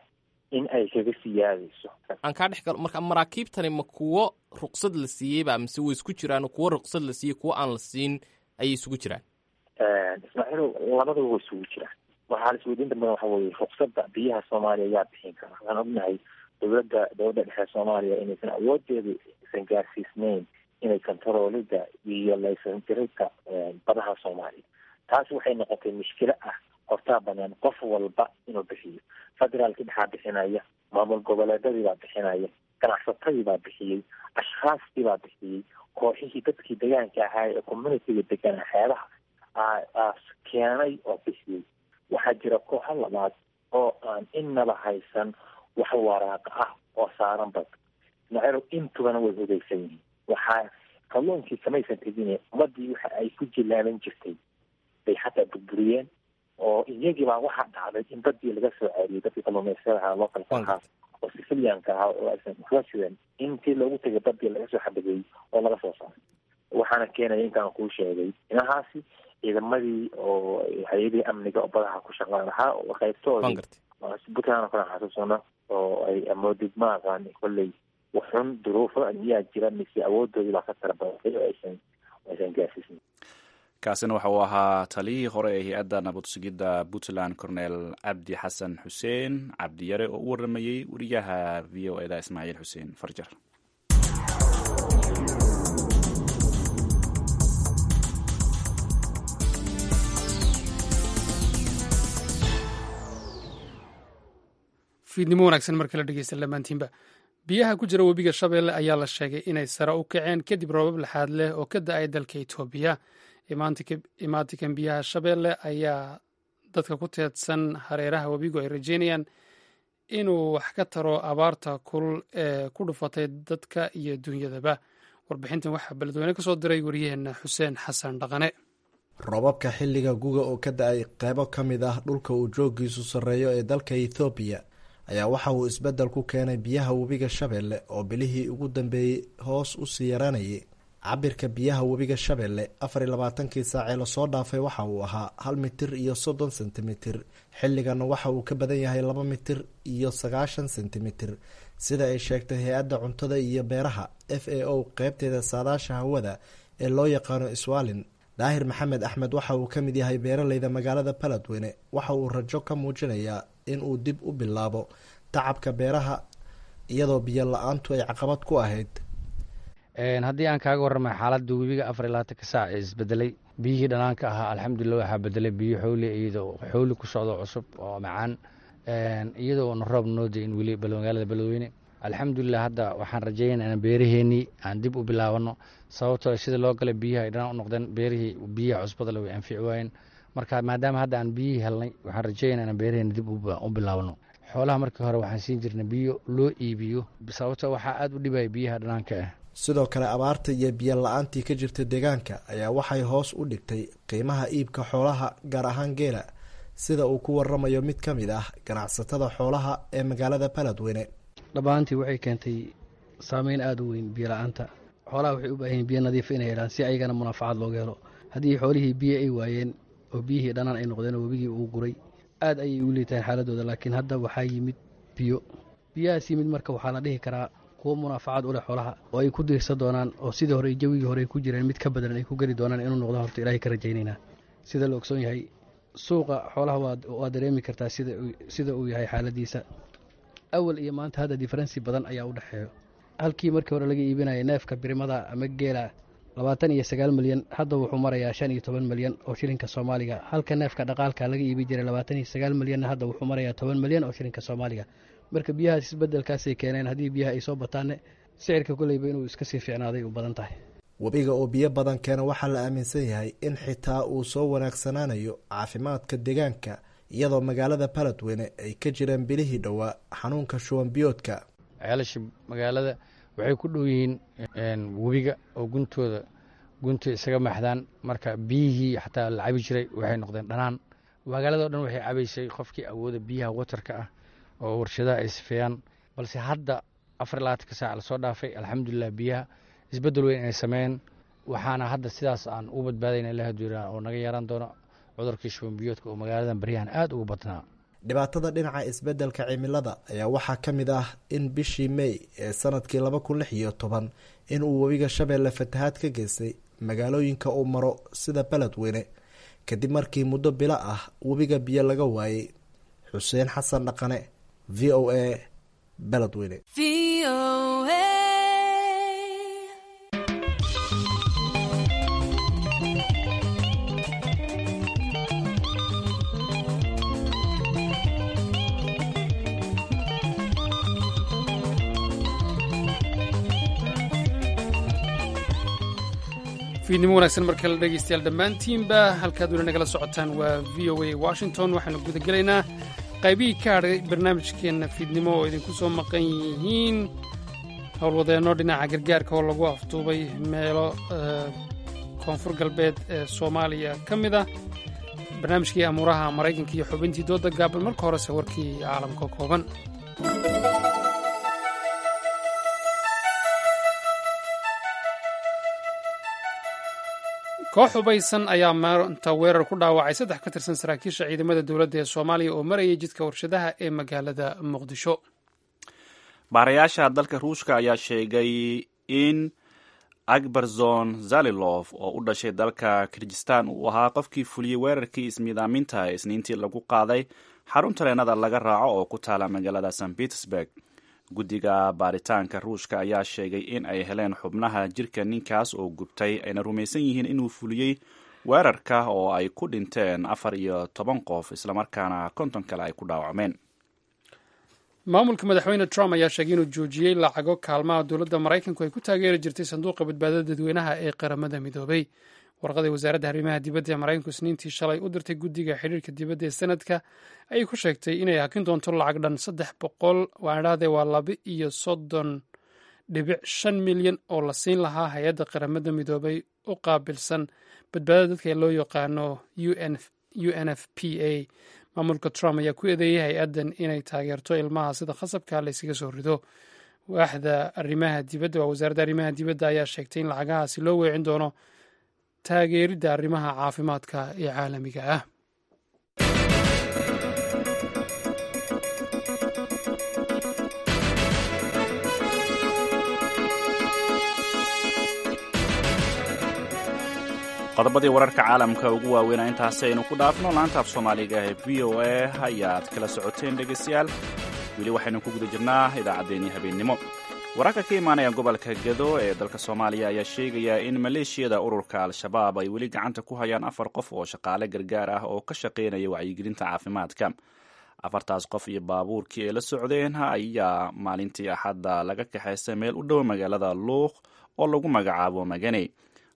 in ay kaga siyaadayso. Aan kaa dhex galo. Marka maraakiibtani ma kuwo ruqsad la siiyeyba mise way isku jiraan, kuwo ruqsad la siiyey kuwo aan la siin ayay isugu jiraan? Ismaaciilo, labadaba way isugu jiraan. Waxaa la isweydiinta mudan waxa weye, ruqsadda biyaha Soomaaliya yaa bixin kara? Waxaan ognahay dowladda dhexe Soomaaliya inaysan awoodeedu aysan gaarsiisnayn inay kontaroolida iyo laysan dirinta badaha Soomaaliya. Taasi waxay noqotay mushkilo ah hortaa banaan qof walba inuu bixiyo. Federaalkii dhexaa bixinaya, maamul goboleedadii baa bixinaya, ganacsatadii baa bixiyey, ashkhaastii baa bixiyey, kooxihii dadkii degaanka ahaa ee communitiga deganaa xeebaha keenay oo bixiyey. Waxaa jira kooxo labaad oo aan inaba haysan wax waraaqa ah oo saaran bad macero, intubana way hogeysan yihiin. Waxaa kalluunkii kamaysan tegine, ummadii waxa ay ku jilaaban jirtay bay xataa burburiyeen, oo iyagiibaa waxaa dhacday in badii laga soo ceeriyay dadkii kalluumaysatada ahaa, localka ahaa oo sicilianka ahaa oo aysan waxba sidan, intii loogu tegay badii laga soo xabadeeyey oo laga soo saaray. Waxaana keenaya intaan kuu sheegay inahaasi ciidamadii oo hay-adihii amniga oo badaha ku shaqaan lahaa oo qaybtoodii Puntland oo kale aan xasuusano oo ay amoodid ma aqaan kolley waxun duruufo miyaa jira mise awoodoodii baa ka tara badatay oo aysan gaarsiisnin. Kaasina waxa uu ahaa taliyihii hore ee hay-adda nabad sugidda Puntland, Cornel Cabdi Xasan Xuseen Cabdiyare, oo u waramayey wariyaha VOA da Ismaaciil Xuseen Farjar. Fiidnimo wanaagsan mar kale dhegeysta lamaantiinba. Biyaha ku jira webiga Shabeelle ayaa la sheegay inay sare u kaceen kadib roobab laxaad leh oo ka da-ay dalka Itoobiya. Imaatikan biyaha Shabeelle ayaa dadka ku teedsan hareeraha webigu ay rajeynayaan inuu wax ka taro abaarta kulul ee ku dhufatay dadka iyo dunyadaba. Warbixintan waxaa beledweyne ka soo diray waryaheena Xuseen Xasan Dhaqane. Roobabka xilliga guga oo ka da-ay qeybo ka mid ah dhulka uu joogiisu sarreeyo ee dalka Ethoobiya ayaa waxa uu isbeddel ku keenay biyaha webiga Shabeelle oo bilihii ugu dambeeyey hoos u sii yaraanayay. Cabirka biyaha webiga Shabeelle 24-kii saacee lasoo dhaafay waxa uu ahaa 1 mitir iyo 30 sentimitir, xilligana waxa uu ka badan yahay 2 mitir iyo 90 sentimitir, sida ay sheegtay hay-adda cuntada iyo beeraha FAO qeybteeda saadaasha hawada ee loo yaqaano Iswaalin. Daahir Maxamed Axmed waxa uu ka mid yahay beeraleyda magaalada Baladweyne. Waxa uu rajo ka muujinayaa in uu dib u bilaabo tacabka beeraha, iyadoo biyo la-aantu ay caqabad ku ahayd. Haddii aan kaaga warramay xaaladda webiga 24-ka saac ee isbedelay, biyihii dhanaanka ahaa alxamdulilah waxaa bedelay biyo xowli, iyadoo xowli ku socdo cusub oo macaan, iyadoo na roob noo da-in weli magaalada Beledweyne. Alxamdulilah, hadda waxaan rajeynaya inaan beeraheenii aan dib u bilaabano, sababtoo sida loo galay biyaha ay dhanaan u noqdeen, beerihii biyaha cusbada le way anfici waayeen. Marka maadaama hadda aan biyihii helnay, waxaan rajeynaya inaan beeraheeni dib u bilaabano. Xoolaha markii hore waxaan siin jirnay biyo loo iibiyo, sababtoo waxaa aada u dhibaya biyaha dhanaanka ah. Sidoo kale abaarta iyo biyo la-aantii ka jirta deegaanka ayaa waxay hoos u dhigtay qiimaha iibka xoolaha, gaar ahaan geela, sida uu ku waramayo mid ka mid ah ganacsatada xoolaha ee magaalada Baladweyne. Dhammaantii waxay keentay saameyn aada u weyn biyo la-aanta. Xoolaha waxay u baahan yihin biyo nadiif inay helaan si ayagana munaafacaad looga helo. Haddii xoolihii biyo ay waayeen oo biyihii dhanaan ay noqdeen oo webigii uu guray, aad ayay u liitaan xaaladooda. Laakiin hadda waxaa yimid biyo. Biyahaas yimid marka waxaa la dhihi karaa kuwo munaafacaad u leh xoolaha oo ay ku diirsan doonaan, oo sidii hore jawigii hore ay ku jireen mid ka badan ay ku geli doonaan inuu noqdo horta Ilaahay ka rajaynaynaa. Sida la ogsoon yahay, suuqa xoolaha waa dareemi kartaa sida uu yahay xaaladiisa awal iyo maanta. Hadda difference badan ayaa u dhexeeyo. Halkii markii hore laga iibinaya neefka birimada ama geela 29 milyan, hadda wuxuu marayaa 15 milyan oo shilinka Soomaaliga. Halka neefka dhaqaalka laga iibi jiray 29 milyanna, hadda wuxuu marayaa 10 milyan oo shilinka Soomaaliga. Marka biyahaas isbedelkaasay keeneen. Haddii biyaha ay soo bataanne, sicirka koleyba inuu iska sii fiicnaaday u badan tahay. Webiga oo biyo badan keena waxaa la aaminsan yahay in xitaa uu soo wanaagsanaanayo caafimaadka deegaanka, iyadoo magaalada Baladweyne ay ka jireen bilihii dhowaa xanuunka shuban biyoodka. Ceelasha magaalada waxay ku dhow yihiin webiga oo guntooda gunta isaga maxdaan. Marka biyihii xataa la cabi jiray waxay noqdeen dhanaan. Magaalada o dhan waxay cabaysay qofkii awooda biyaha watarka ah oo warshadaha ay sifeeyaan, balse hadda 24-ka saac lasoo dhaafay, alxamdulilah, biyaha isbeddel weyn ay sameeyeen. Waxaana hadda sidaas aan u badbaadayna ilaah duuraa oo naga yeeran doono cudurkii shuban biyoodka oo magaaladan baryahan aada ugu badnaa. Dhibaatada dhinaca isbeddelka cimilada ayaa waxaa ka mid ah in bishii May ee sanadkii 2016 in uu webiga Shabeelle fatahaad ka geystay magaalooyinka uu maro sida Beledweyne, kadib markii muddo bilo ah webiga biyo laga waayey. Xuseen Xasan Dhaqane, VOA, Beledweyne. Fiidnimo wanaagsan mar kale, dhegeystayaal dhammaantiinba. Halkaad weli nagala socotaan waa VOA Washington. Waxaanu guda gelaynaa qaybihii ka hadhay barnaamijkeenna fiidnimo oo idinku soo maqan yihiin howlwadeenno dhinaca gargaarka oo lagu afduubay meelo Koonfur Galbeed ee Soomaaliya ka mid ah, barnaamijkii amuuraha Maraykanka iyo xubintii dooda gaaban. Marka horese warkii caalamka kooban. Koox hubaysan ayaa maanta weerar ku dhaawacay saddex ka tirsan saraakiisha ciidamada dowladda ee Soomaaliya oo marayay jidka warshadaha ee magaalada Muqdisho. Baarayaasha dalka Ruushka ayaa sheegay in Akbarzon Zalilof oo u dhashay dalka Kirgistan uu ahaa qofkii fuliyey weerarkii ismiidaaminta ee Isniintii lagu qaaday xarun tareenada laga raaco oo ku taala magaalada St Petersburg. Guddiga baaritaanka Ruushka ayaa sheegay in ay heleen xubnaha jirka ninkaas oo gubtay, ayna rumaysan yihiin inuu fuliyey weerarka oo ay ku dhinteen 14 qof, islamarkaana 50 kale ay ku dhaawacmeen. Maamulka Madaxweyne Trump ayaa sheegay inuu joojiyey lacago kaalmaha dowladda Maraykanku ay ku taageeri jirtay sanduuqa badbaadada dadweynaha ee Qaramada Midoobay. Warqaday wasaaradda arrimaha dibadda ee Maraykanku Isniintii shalay u dirtay guddiga xidhiirka dibadda ee Sanadka ayay ku sheegtay inay hakin doonto lacag dhan 300, waadhahdee waa 32.5 milyan oo la siin lahaa hay-adda Qaramada Midoobay u qaabilsan badbaadada dadka ee loo yaqaano UNFPA. Maamulka Trump ayaa ku eedeeyey hay-addan inay taageerto ilmaha sida khasabka la yskaga soo rido. Waaxda arrimaha dibadda, waa wasaaradda arrimaha dibadda, ayaa sheegtay in lacagahaasi loo weecin doono taageeridda arrimaha caafimaadka ee caalamiga ah. Qodobadii wararka caalamka ugu waaweynaa intaasi aynu ku dhaafno. Laanta af Soomaaliga ee VOA ayaad kala socoteen, dhegaystayaal. Weli waxaynu ku guda jirnaa idaacaddeenii habeennimo. Wararka ka imaanaya gobolka Gado ee dalka Soomaaliya ayaa sheegaya in maleeshiyada ururka Al-Shabaab ay weli gacanta ku hayaan afar qof oo shaqaale gargaar ah oo ka shaqaynaya wacyigelinta caafimaadka. Afartaas qof iyo baabuurkii ay la socdeen ayaa maalintii Axadda laga kaxaystay meel u dhow magaalada Luuq oo lagu magacaabo Maganey.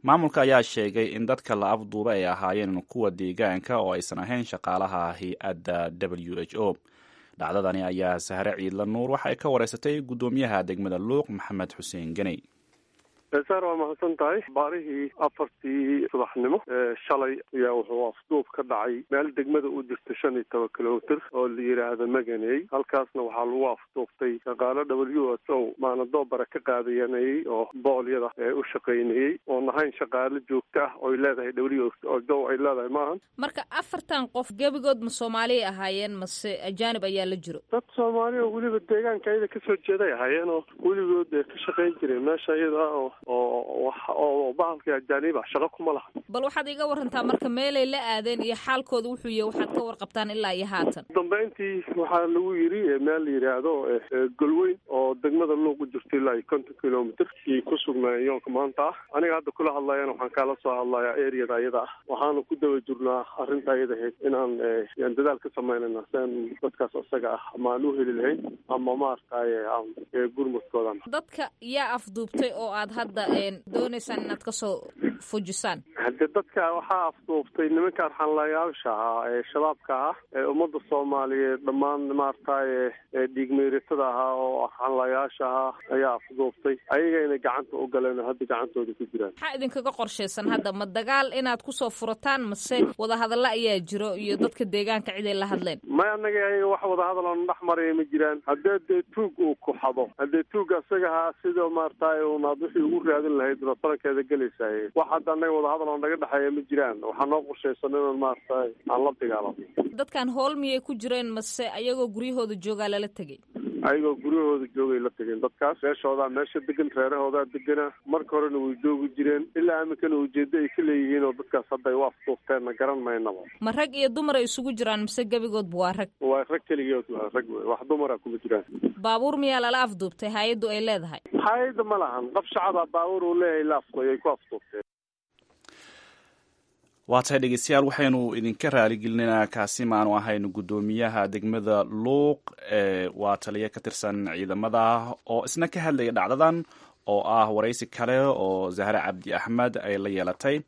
Maamulka ayaa sheegay in dadka la afduuba ay ahaayeen kuwa deegaanka oo aysan ahayn shaqaalaha hay-adda WHO. Dhacdadani ayaa Sahre Ciidla Nuur waxa ay ka wareysatay guddoomiyaha degmada Luuq, Maxamed Xuseen Ganey. Saar, waa mahadsan tahay. Baarihii 4-tii subaxnimo shalay ayaa wuxuu afduub ka dhacay meel degmada u jirta 15 kilomitr oo la yidhaahdo Maganey. Halkaasna waxaa lagu afduubtay shaqaalo WHO maanadoobara ka qaadayanayey oo boolyada ee u shaqaynayey, oon ahayn shaqaalo joogto ah oy leedahay WHO ay leedahay maahan. Marka afartan qof gebigood ma Soomaaliya ahaayeen mase ajaanib ayaa la jiro? Dad Soomaali oo weliba deegaanka ayada kasoo jeeday ahaayeen oo weligood ka shaqayn jireen meesha iyada oo Oo oo bahalkii ajaaniib ah shaqo kuma laha. Bal waxaad iga warantaa marka meelay la aadeen iyo xaalkooda wuxuu yahay, waxaad ka warqabtaan ilaa iyo haatan. Dambeyntii waxaa lagu yidhi meel la yidhaahdo Golweyn oo degmada Luuq u jirto ilaa iyo 50 kilomitr iyo ku sugnaayeen yoonka maanta ah. Aniga hadda kula hadlayana waxaan kaala soo hadlayaa areada ayada ah. Waxaanu ku daba jirnaa arrinta ayada ahayd inaan yaan dadaal ka samaynayna si aan dadkaas isaga ah ama aan u heli lahayn ama maaragtaye aan gurmudkoodan. Dadka yaa afduubtay oo aad hadda doonaysaan inaad kasoo fujisaan? Hadde dadka waxaa afduubtay nimanka arxanlayaasha ahaa ee shabaabka ah ee ummadda Soomaaliyeed dhammaan maaragtaye dhiigmeyratada ahaa oo arxanlayaasha ahaa ayaa afduubtay. Ayagayna gacanta u galeen oo hadda gacantooda ku jiraan. Maxaa idinkaga qorshaysan hadda? Ma dagaal inaad kusoo furataan mase wadahadalla ayaa jiro iyo dadka deegaanka ciday la hadleen? May, annaga ayaga wax wadahadal oona dhex maraya ma jiraan. Haddee dee tuug uu ku xado, haddee tuug asagaha sidoo maaragtaye unaad wixii ugu raadin lahayd unaad farankeeda gelaysaay. Wax hadda annaga wadahadal oo naga dhexeeya ma jiraan. Waxaa noo qorshaysan inaan maaragtaye aan la dagaalamo. Dadkan hool miyay ku jireen mase ayagoo guryahooda joogaa lala tegay? Ayagoo guryahooda joogay la tegeen dadkaas. Meeshoodaa meesha degan, reerahoodaa degana. Marka horena way joogi jireen, ilaa iminkana ujeedo ay ka leeyihiin oo dadkaas hadda ay u afduufteen garan maynaba. Ma rag iyo dumar ay isugu jiraan mise gebigoodba waa rag? Waa rag keligood, waa rag wey, wax dumara kuma jiraan. Baabuur miyaa lala afduubtay hay-addu ay leedahay? Hay-adda ma lahan, qof shacaba baabuur uu leeyahay la afduubay ay ku afduubteen. Waa tahay dhegeystayaal, waxaynu idinka raaligelinaa kaasi maanu ahayn guddoomiyaha degmada Luuq, waa taliye ka tirsan ciidamada oo isna ka hadlaya dhacdadan oo ah waraysi kale oo Zahre Cabdi Axmed ay la yeelatay.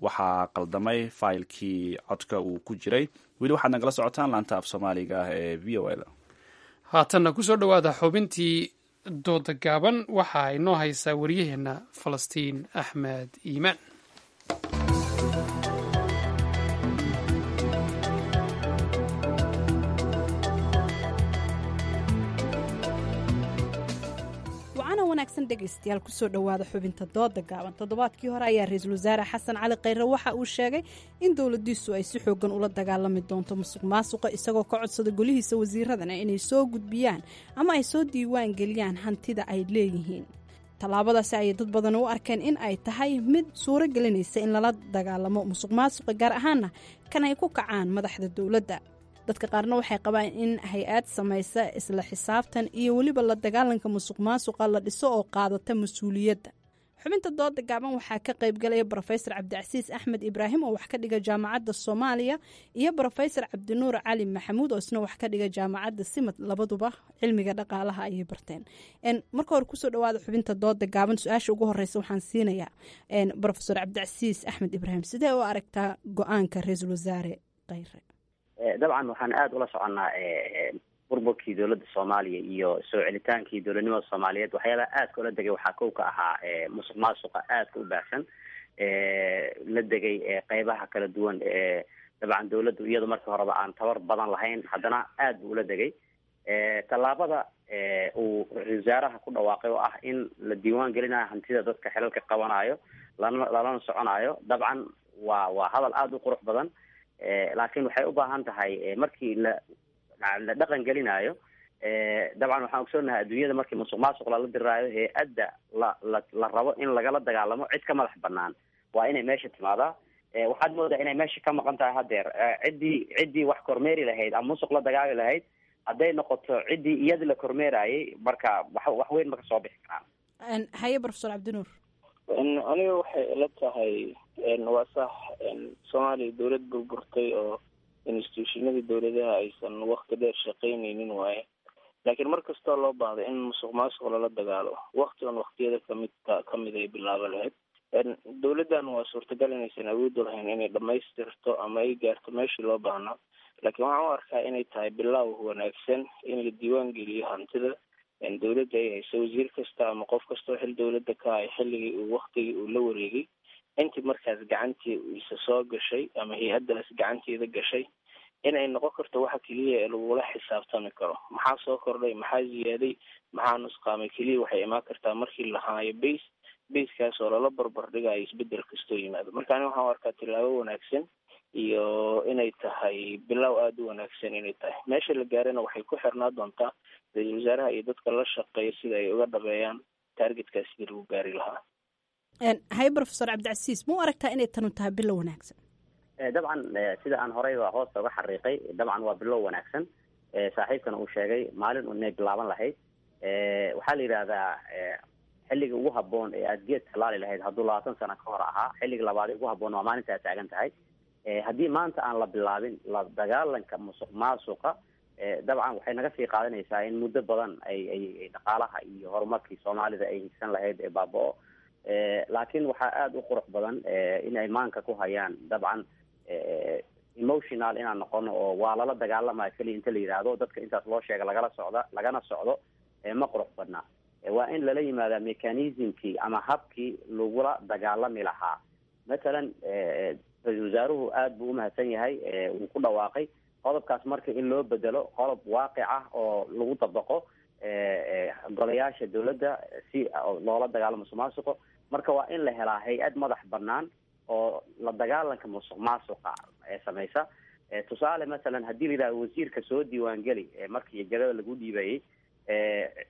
Waxaa qaldamay faylkii codka uu ku jiray. Weli waxaad nagala socotaan laanta af Soomaaliga ah ee VOA da. Haatanna kusoo dhowaada xubintii dooda gaaban. Waxa inoo haysaa wariyaheenna Falastiin Axmed Iimaan. Wanaagsan dhegaystayaal, kusoo dhowaada xubinta dooda gaaban. Toddobaadkii hore ayaa ra-iisul wasaare Xasan Cali Khayre waxa uu sheegay in dowladiisu ay si xoogan ula dagaalami doonto musuq maasuqa, isagoo ka codsada golihiisa wasiiradana inay soo gudbiyaan ama ay soo diiwaan geliyaan hantida ay leeyihiin. Tallaabadaasi ayay dad badan u arkeen in ay tahay mid suuro gelinaysa in lala dagaalamo musuq maasuqa, gaar ahaana kan ay ku kacaan madaxda dowladda. Dadka qaarna waxay qabaan in hay-ad samaysa isla xisaabtan iyo weliba la dagaalanka musuq maasuqa la dhiso oo qaadata mas-uuliyadda. Xubinta dooda gaaban waxaa ka qaybgalaya Brofesor Cabdicasiis Axmed Ibraahim oo wax ka dhiga Jaamacadda Soomaaliya iyo Brofesor Cabdinuur Cali Maxamuud oo isna wax ka dhiga Jaamacadda Simad. Labaduba cilmiga dhaqaalaha ayay barteen. Marka hore kusoo dhawaada xubinta dooda gaaban. Su-aasha ugu horeysa waxaan siinayaa Brofesor Cabdicasiis Axmed Ibraahim. Sidee u aragtaa go-aanka ra-iisul wasaare Kheyre? Dabcan waxaan aada ula soconnaa burburkii dowladda Soomaaliya iyo soo celitaankii dowladnimada Soomaaliyeed. Waxyaabaha aadka ula degay waxaa kow ka ahaa musuq maasuqa aadka u baahsan la degay qeybaha kala duwan. Dabcan dowladdu iyadu markii horeba aan tabar badan lahayn, haddana aad buu ula degay. Tallaabada uu ra-isul wasaaraha ku dhawaaqay oo ah in la diiwaan gelinayo hantida dadka xilalka qabanayo lana lalana soconayo, dabcan waa hadal aada u qurux badan, laakiin waxay u baahan tahay markii la dhaqan gelinayo. Dabcan waxaan ogsoonahay adduunyada markii musuq maasuq lala diraayo, hay-adda la rabo in lagala dagaalamo cid ka madax banaan waa inay meesha timaadaa. Waxaad moodaa inay meesha ka maqan tahay haddeer ciddii wax kormeeri lahayd ama musuq la dagaali lahayd. Hadday noqoto ciddii iyadii la kormeerayay, marka wax weyn ma kasoo bixi karaan. Haye, Profesor Cabdinuur. Aniga waxay ila tahay waa sax, Soomaaliya dowlad burburtay oo institutionadii dowladaha aysan wakti dheer shaqaynaynin waaye, laakiin mar kastoo loo baahdo in musuq maasuq lala dagaalo, wakti on waktiyada kamid ay bilaaba lahayd. Dowladdan waa suurtagal inaysan awood u lahayn inay dhamaystirto ama ay gaarto meeshii loo baahnaa, laakiin waxaan u arkaa inay tahay bilaaw wanaagsan in la diiwaan geliyo hantida dowladda ay hayso, wasiir kasta ama qof kastoo xil dowladda ka hay, xilligii uu waktigii uu la wareegay intii markaas gacantii isa soo gashay ama hay-addaas gacanteeda gashay, in ay noqon karto waxa keliya ee lagula xisaabtami karo. Maxaa soo kordhay, maxaa ziyaaday, maxaa nusqaamay, keliya waxay imaan kartaa markii la haayo base basekaas oo lala barbar dhigayo isbedel kastoo yimaado. Marka aniga waxaan u arkaa tillaabo wanaagsan iyo inay tahay bilow aada u wanaagsan inay tahay. Meesha la gaarana waxay ku xirnaa doontaa ra-iisul wasaaraha iyo dadka la shaqeeya sida ay uga dhabeeyaan taargetkaas sidii lagu gaari lahaa. Haye, Professor Cabdicasiis, ma u aragtaa inay tanu tahay bilow wanaagsan? Dabcan, sida aan horeyba hoosta uga xariiqay, dabcan waa bilow wanaagsan. Saaxiibkana uu sheegay maalin inay bilaaban lahayd. Waxaa la yidhaahdaa xilliga ugu habboon ee aada geed tallaali lahayd hadduu 20 sano ka hor ahaa, xilliga labaad ee ugu habboon waa maalinta aad taagan tahay. Haddii maanta aan la bilaabin la dagaalanka musuq maasuqa, dabcan waxay naga sii qaadanaysaa in muddo badan ay dhaqaalaha iyo horumarkii Soomaalida ay higsan lahayd ee baaba-o. Laakiin waxaa aada u qurux badan in ay maanka ku hayaan, dabcan emotional inaan noqono oo waa lala dagaalamaya keliya inta la yidhaahdo, dadka intaas loo sheega lagala socda lagana socdo, ma qurux badna. Waa in lala yimaadaa mechanismkii ama habkii lagula dagaalami lahaa. Mathalan, ra-iisul wasaaruhu aada buu umahadsan yahay, wuu ku dhawaaqay qodobkaas. Marka in loo bedelo qodob waaqic ah oo lagu dabaqo golayaasha dawladda si loola dagaalamo musuq maasuqo, marka waa in la helaa hay-ad madax banaan oo la dagaalanka musuq maasuqa ee samaysa. Tusaale, masalan, haddii la yidhahdo wasiirka soo diiwaangeli markii jagada lagu dhiibayay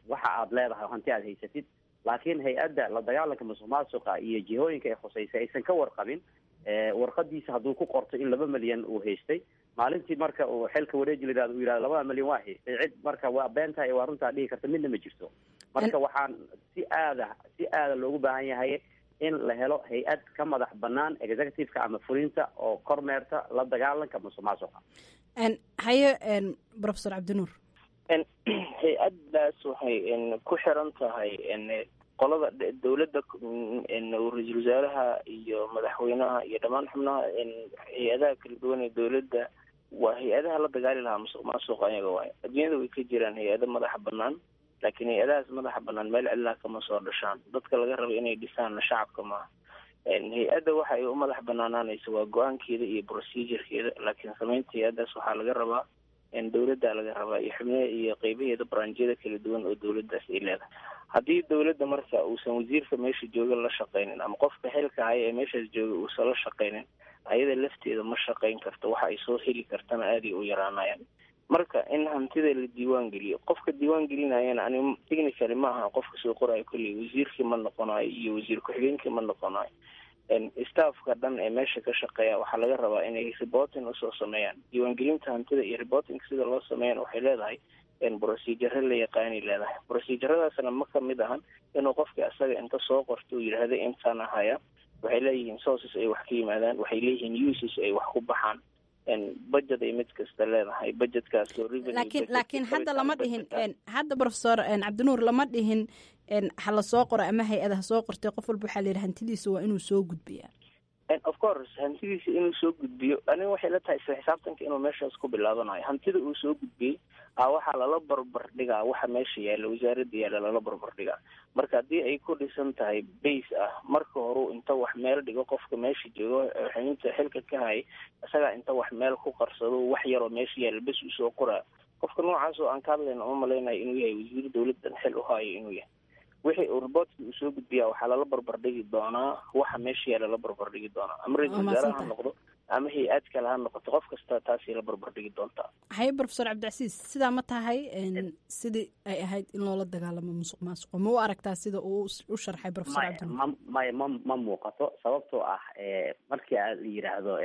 waxa aad leedahay, hanti aad haysatid, laakiin hay-adda la dagaalanka musuq maasuqa iyo jihooyinka ay khuseysay aysan ka warqabin, warqadiisa hadduu ku qorto in 2 milyan uu haystay, maalintii marka uu xilka wareeji la yidhahdo uu yidhahdo 2 milyan waa haystay, cid marka waa beentaa iyo waa runtaa dhihi karta midna ma jirto. Marka waxaan si aada loogu baahan yahay in la helo hay-ad ka madax banaan executive-ka ama fulinta oo kormeerta la dagaalanka musuq maasuqa. Haye, Professor Cabdinuur. Hay-addaas waxay ku xiran tahay qolada dowladda, ra-iisul wasaaraha iyo madaxweynaha iyo dhammaan xubnaha hay-adaha kala duwan ee dowladda. Waa hay-adaha la dagaali lahaa musuq maasuqa ayaga waay. Adduunyada way ka jiraan hay-ado madaxa banaan, laakiin hay-adahaas madaxa banaan meel cidlaa kama soo dhashaan. Dadka laga rabo inay dhisaanna shacabka maaha. Hay-adda waxa ay u madax banaanaanaysa waa go-aankeeda iyo procedurekeeda, laakiin samaynta hay-addaas waxaa laga rabaa dowladda laga rabaa iyo xubnaha iyo qeybaheeda, branjyada kala duwan oo dowladdaas ay leedahay. Haddii dowladda marka uusan wasiirka meesha jooga la shaqaynin ama qofka xilka haya ee meeshaas jooga uusan la shaqaynin, ayada lafteeda ma shaqayn karto, waxa ay soo heli kartana aaday u yaraanayaan. Marka in hantida la diiwaan geliyo, qofka diiwaan gelinayana ani technically ma aha qofka soo qorayo kolley wasiirkii ma noqonayo iyo wasiir ku-xigeenkii ma noqonayo. Staffka dhan ee meesha ka shaqeeya waxaa laga rabaa inay reporting usoo sameeyaan. Diiwaangelinta hantida iyo reporting sida loo sameeyana waxay leedahay procedure la yaqaanay leedahay. Proceduradaasna ma kamid ahan inuu qofka asaga inta soo qorto uu yidhaahdo intaan ahaya. Waxay leeyihiin sources ay wax ka yimaadaan, waxay leeyihiin uses ay wax ku baxaan, budget ay mid kasta leedahay, budgetkaas oo revenue. Laakiin hadda lama dhihin, hadda Professor Cabdinuur, lama dhihin ha la soo qoro ama hay-ada ha soo qortay. Qof walba waxaa la yidhi hantidiisa waa inuu soo gudbiyaa. Of course, hantidiisa inuu soo gudbiyo aniga waxay la tahay isla xisaabtanka inuu meeshaas ku bilaabanayo. Hantida uu soo gudbiyey a waxaa lala barbar dhigaa waxa meesha yaalla, wasaaradda yaalla lala barbar dhigaa. Marka haddii ay ku dhisan tahay base ah marka horeu inta wax meel dhigo, qofka meesha joogo xubinta xilka ka hayay isagaa inta wax meel ku qarsado, wax yaroo meesha yaalla bes uu soo qoraa, qofka noocaas oo aan ka hadlayna uma malaynayo inuu yahay wasiir dowladdan xil u hayo inuu yahay. Wixii uu reportkii uu soo gudbiyaa waxaa lala barbar dhigi doonaa waxa meesha yaalla la barbar dhigi doonaa, ama ra-iisul wasaare ha noqdo ama hay-ad kale ha noqoto, qof kasta taasay la barbar dhigi doontaa. Haye, Professor Cabdicasiis, sidaa ma tahay sidii ay ahayd in loola dagaalamo musuq maasuqo? Ma u aragtaa sida uu u sharxay Professor Cabdinuur? Maya, ma muuqato, sababtoo ah markii aad yidhaahdo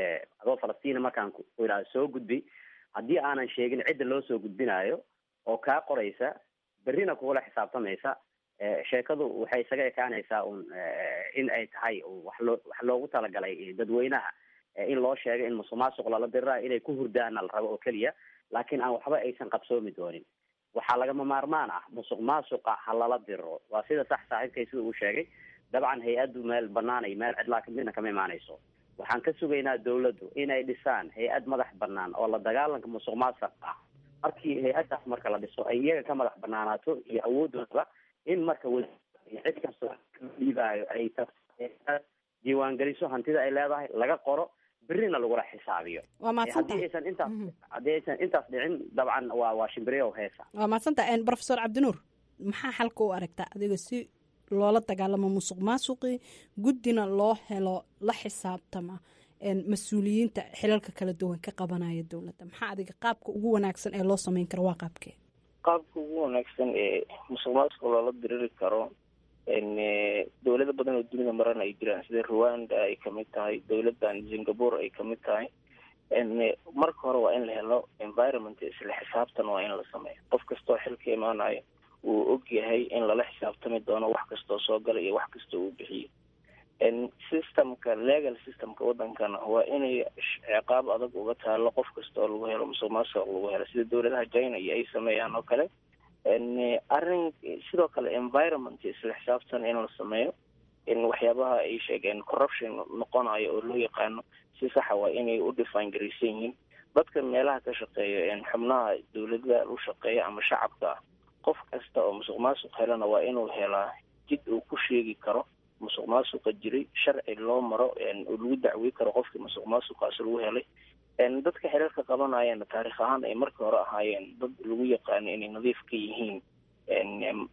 adoo Falastiina, markaan ku yidhahdo soo gudbi, haddii aanan sheegin cidda loo soo gudbinayo oo kaa qoraysa berrina kugula xisaabtamaysa, sheekadu waxay isaga ekaanaysaa un in ay tahay wax loogu talagalay dadweynaha in loo sheego in musuq maasuq lala dirirayo, inay ku hurdaana la rabo oo keliya, laakiin aan waxba aysan qabsoomi doonin. Waxaa lagama maarmaan ah musuq maasuqa ha lala diriro, waa sida sax saaxiibkay sida uu sheegay. Dabcan hay-addu meel banaan iyo meel cidlaa midna kama imaanayso. Waxaan ka sugaynaa dawladdu inay dhisaan hay-ad madax banaan oo la dagaalanka musuq maasuq ah. Markii hay-addaas marka la dhiso ay iyaga ka madax banaanaato iyo awooddoodaba in marka cid kastoo dhiibaayo ay diiwaangeliso hantida ay leedahay, laga qoro, berrina lagula xisaabiyo. Waa mahadsantahay. Haddii aysan intaas dhicin, dabcan waa shimbiriyow heesa. Waa mahadsantahay, Professor Cabdinuur. Maxaa xalka u aragtaa adiga si loola dagaalamo musuq maasuqii, guddina loo helo la xisaabtama mas-uuliyiinta xilalka kala duwan ka qabanaya dowladda? Maxaa adiga qaabka ugu wanaagsan ee loo sameyn karo waa qaabkee? Qaabka ugu wanaagsan ee musuq maasuqa loola diriri karo Dowlado badan oo dunida marana ay jiraan, sida Rwanda ay kamid tahay, dowladan Singapore ay kamid tahay. Marka hore waa in la helo environment isla xisaabtan, waa in la sameeyo. Qof kastoo xilka imaanayo uu og yahay in lala xisaabtami doono wax kastoo soo gala iyo wax kastoo uu bixiyo. Systemka, legal systemka wadankana waa inay ciqaab adag uga taalo qof kasta oo lagu helo musuq maasuq lagu helo, sida dowladaha China iyo ay sameeyaan oo kale. Arrin sidoo kale environment isla xisaabtan in la sameeyo, in waxyaabaha ay sheegeen corruption noqonayo oo loo yaqaano si saxa waa inay u define garaysan yihiin dadka meelaha ka shaqeeya, xubnaha dowladda u shaqeeya ama shacabka ah. Qof kasta oo musuq maasuq helana waa inuu helaa jid uu ku sheegi karo musuq maasuqa jiray, sharci loo maro oo lagu dacwey karo qofkii musuq maasuqaas lagu helay. Dadka xiriirka qabanayana taarikh ahaan ay markii hore ahaayeen dad lagu yaqaano inay nadiif ka yihiin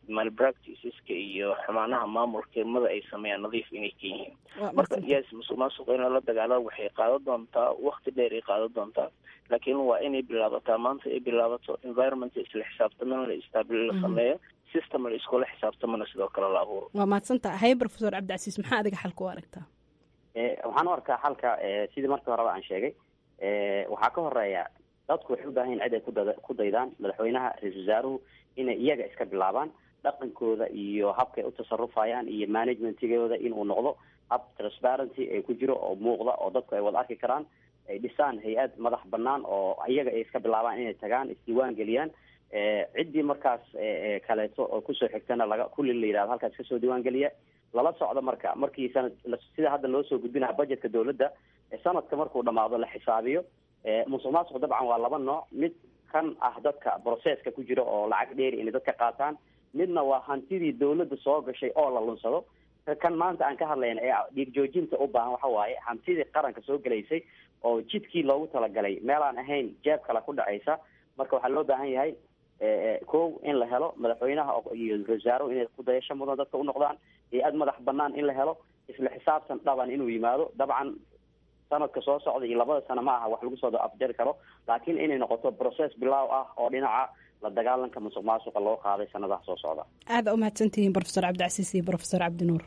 malpracticeska iyo xumaanaha maamulkimada ay sameeyaan, nadiif inay ka yihiin. Marka yes, musuq maasuqa in lala dagaalo waxay qaadan doontaa wakti dheer ay qaadan doontaa, laakiin waa inay bilaabataa maanta ay bilaabato. Environment isla xisaabtamana la establish, la sameeyo system la iskula xisaabtamana sidoo kale la abuuro. Waa mahadsantaha. Haye, Professor Cabdicasiis, maxaa adiga xalka u aragtaa? Waxaan u arkaa xalka sidii markii horeba aan sheegay. Waxaa ka horeeya dadku waxay u baahan yihin cid ay ku daydaan. Madaxweynaha, ra-iisul wasaaruhu inay iyaga iska bilaabaan dhaqankooda iyo habkay u tasarufayaan iyo managementigooda inuu noqdo hab transparency ay ku jiro oo muuqda oo dadku ay wada arki karaan. Ay dhisaan hay-ad madax banaan oo iyaga ay iska bilaabaan inay tagaan isdiiwaan geliyaan. Ciddii markaas kaleeto oo kusoo xigtana laga kulli la yidhahdo halkaas kasoo diiwaan geliya, lala socdo. Marka markii sanad, sida hadda loo soo gudbinaha budgetka dowladda, sanadka markuu dhamaado la xisaabiyo. Musuq maasuq dabcan waa laba nooc: mid kan ah dadka processka ku jira oo lacag dheeri inay dadka qaataan, midna waa hantidii dowladda soo gashay oo la lunsado. Kan maanta aan ka hadlayna ee dhiig joojinta u baahan waxa waaye hantidii qaranka soo gelaysay oo jidkii loogu talagalay meelaan ahayn jeeb kale ku dhacaysa. Marka waxaa loo baahan yahay, kow, in la helo madaxweynaha iyo ra-isul wasaaruhu inay ku dayasho mudan dadka u noqdaan, hay-ad madax banaan in la helo, isla xisaabtan dhaban inuu yimaado. Dabcan sanadka soo socda iyo 2da sano ma aha wax lagu soo afjari karo, laakiin inay noqoto process bilaaw ah oo dhinaca la dagaalanka musuq maasuqa loo qaaday sanadaha soo socda. Aada u mahadsantihiin, Professor Cabdicasiis iyo Professor Cabdinuur.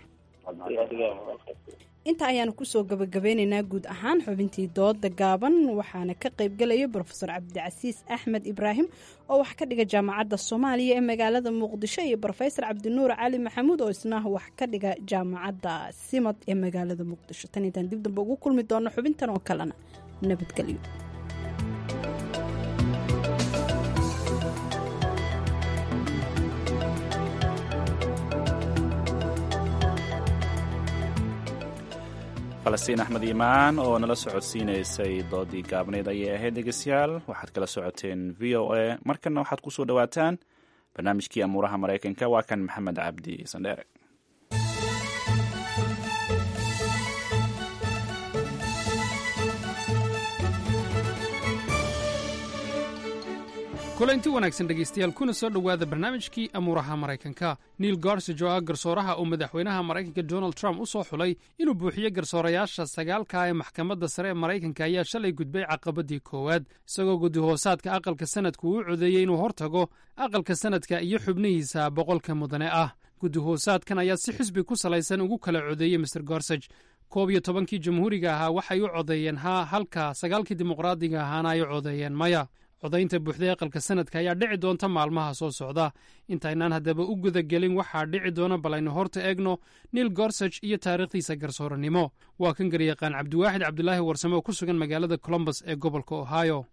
Inta ayaanu kusoo gabagabeynaynaa guud ahaan xubintii dooda gaaban. Waxaana ka qaybgelaya Brofesor Cabdicasiis Axmed Ibraahim oo wax ka dhiga Jaamacadda Soomaaliya ee magaalada Muqdisho iyo Brofesor Cabdinuur Cali Maxamuud oo isna wax ka dhiga Jaamacadda Simad ee magaalada Muqdisho. Tan intaan dib dambe ugu kulmi doono xubintan oo kalena, nabadgelyo. Falastiin Axmed Iimaan oo nala socodsiinaysay doodii gaabneyd ayay ahayd. Dhegeystayaal, waxaad kala socoteen VOA. Markanna waxaad ku soo dhowaataan barnaamijkii amuuraha Maraykanka. Waa kan Maxamed Cabdi Sandheere. Kulanti wanaagsan dhegaystayaal, kuna soo dhowaada barnaamijkii amuuraha Maraykanka. Neil Gorsuch oo ah garsooraha uu madaxweynaha Maraykanka Donald Trump u soo xulay inuu buuxiyo garsoorayaasha sagaalka ee maxkamadda sare ee Maraykanka ayaa shalay gudbay caqabadii koowaad, isagoo guddi-hoosaadka aqalka sanadku uu codeeyey inuu hortago aqalka sanadka iyo xubnihiisa 100ka mudane ah. Guddi-hoosaadkan ayaa si xisbi ku salaysan ugu kala codeeyey Mr Gorsuch. 11kii jamhuuriga ahaa waxay u codeeyeen haa, halka sagaalkii dimuqraadiga ahaana ay u codeeyeen maya. Codaynta buuxda aqalka sanadka ayaa dhici doonta maalmaha soo socda. Intaynaan haddaba u gudagelin waxaa dhici doona, bal aynu horta eegno Neil Gorsuch iyo taariikhdiisa garsooranimo. Waa kan garyaqaan Cabdiwaaxid Cabdulaahi Warsame oo ku sugan magaalada Columbus ee gobolka Ohio.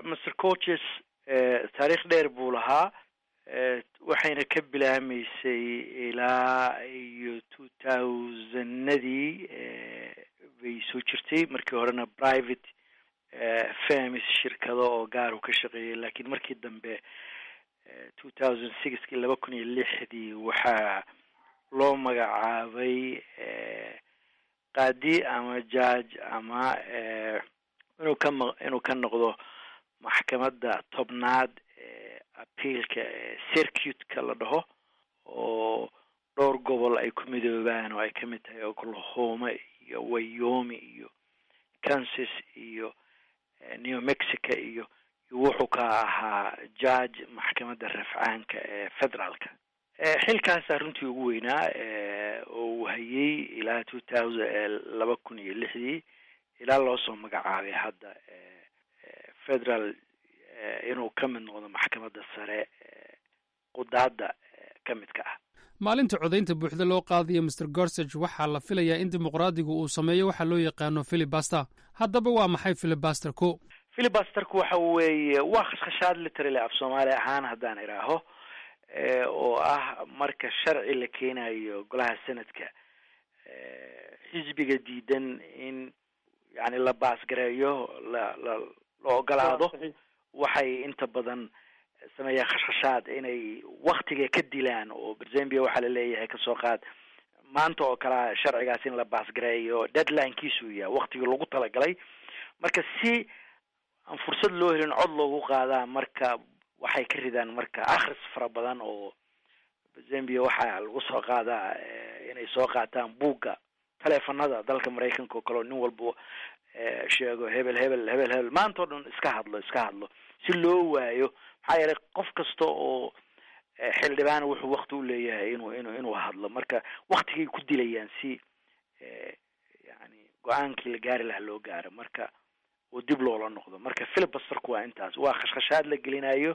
Mr Gorsuch taariikh dheer buu lahaa, waxayna ka bilaamaysay ilaa iyo 2000-nadii bay soo jirtay. Markii horena private firms, shirkado oo gaar u ka shaqeeyay, laakiin markii dambe 2006-kii, 2006-dii, waxaa loo magacaabay qaadi ama judge ama inuu ka noqdo maxkamadda 10aad ee appealka ee circuit-ka la dhaho, oo dhowr gobol ay ku midoobaan oo ay ka mid tahay Oklahoma iyo Wyoming iyo Kansas iyo New Mexico iyo wuxuu ka ahaa judge maxkamadda rafcaanka ee federaalka. Xilkaasaa runtii ugu weynaa oo uu hayay ilaa 2000, 2006-dii, ilaa loo soo magacaabay hadda federal inuu ka mid noqdo maxkamadda sare qudaadda ka midka ah. Maalinta codaynta buuxda loo qaadayo Mr Gorsuch, waxaa la filayaa in dimuqraadigu uu sameeyo waxa loo yaqaano filibuster. Haddaba waa maxay filibusterku? Filibusterku waxa weeye waa khashkhashaad, literally af Soomaali ahaan haddaan idhaaho, oo ah marka sharci la keenayo golaha senadka, xisbiga diidan in yani la baasgareeyo, la ogolaado, waxay inta badan sameeyaan khashkhashaad inay waktiga ka dilaan. Oo Zambia waxaa laleeyahay, kasoo qaad maanta oo kalea sharcigaas in la baasgareeyo deadlinekiisu yahay waktigii lagu talagalay, marka si aan fursad loo helin cod loogu qaadaa, marka waxay ka ridaan marka akhris fara badan. Oo Zambia waxaa lagu soo qaadaa inay soo qaataan buugga taleefanada dalka Maraykanka oo kale, oo nin walba sheego hebel, hebel, hebel, hebel, maanta o dhan iska hadlo, iska hadlo, si loo waayo. Maxaa yeelay qof kasta oo xildhibaan wuxuu wakti u leeyahay inuu hadlo, marka waktigay ku dilayaan si yani go-aankii la gaari lahaa loo gaaro, marka oo dib loola noqdo. Marka filibusterku waa intaas, waa khashkhashaad la gelinayo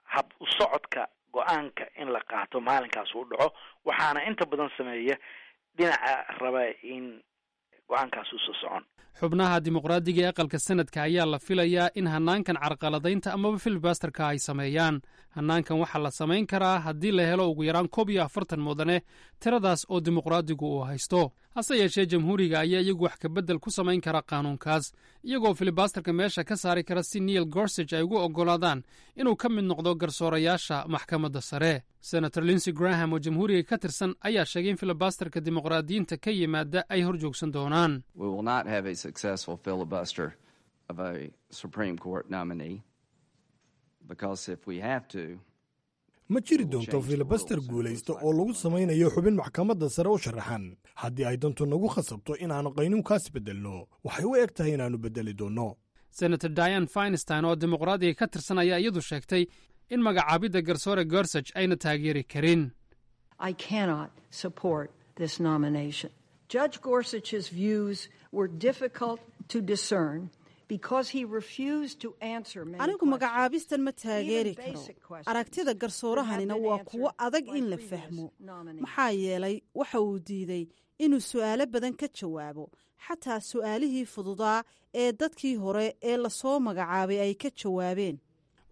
hab u socodka go-aanka in la qaato maalinkaas uu dhaco, waxaana inta badan sameeya dhinaca raba in go-aankaas usoo socon. Xubnaha dimuqraadiga ee aqalka sanadka ayaa la filayaa in hannaankan carqaladaynta amaba filibusterka ay sameeyaan. Hannaankan waxaa la samayn karaa haddii la helo ugu yaraan 41 mudane, tiradaas oo dimuqraadigu uu haysto. Hase yeeshee jamhuuriga ayaa iyagu wax kabedel ku samayn kara qaanuunkaas, iyagoo filibusterka meesha ka saari kara si Neil Gorsuch ay ugu oggolaadaan inuu ka mid noqdo garsoorayaasha maxkamadda sare. Senator Lindsey Graham oo jamhuuriga ka tirsan ayaa sheegay in filibusterka dimuqraadiyiinta ka yimaada ay hor joogsan doonaan. We will not have a successful filibuster of a Supreme Court nominee because if we have to, Ma jiri doonto filibuster guulaysta oo lagu samaynayo xubin maxkamadda sare u sharaxan. Haddii ay dantu nagu khasabto inaannu qaynuunkaas beddelno, waxay u eg tahay inaannu beddeli doonno. Senator Dianne Feinstein oo dimuqraadiga ka tirsan ayaa iyadu sheegtay in magacaabidda garsoore Gorsuch ayna taageeri karin. I cannot support this nomination. Judge Gorsuch's views were difficult to discern because he refused to answer many. Anigu magacaabistan ma taageeri karo. Aragtida garsoorahanina waa kuwo adag in la fahmo, maxaa yeelay waxa uu diiday inuu su'aalo badan ka jawaabo, xataa su'aalihii fududaa ee dadkii hore ee lasoo magacaabay ay ka jawaabeen.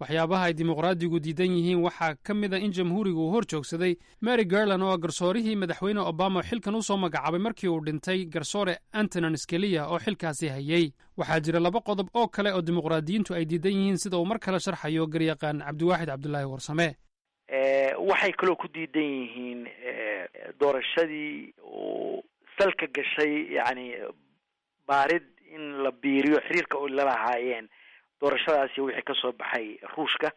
Waxyaabaha ay dimuqraadigu diidan yihiin waxaa ka mid a in jamhuurigu uu hor joogsaday Merrick Garland, oo garsoorihii madaxweyne Obama xilkan u soo magacaabay markii uu dhintay garsoore Antonin Scalia oo xilkaasi hayey. Waxaa jira laba qodob oo kale oo dimuqraadiyiintu ay diidan yihiin, sida uu mar kale sharxayo garyaqaan Cabdiwaaxid Cabdulaahi Warsame. Waxay kaloo ku diidan yihiin doorashadii uu salka gashay, yacni baarid in la biiriyo xiriirka oy lalahaayeen doorashadaasi wixii kasoo baxay Ruushka,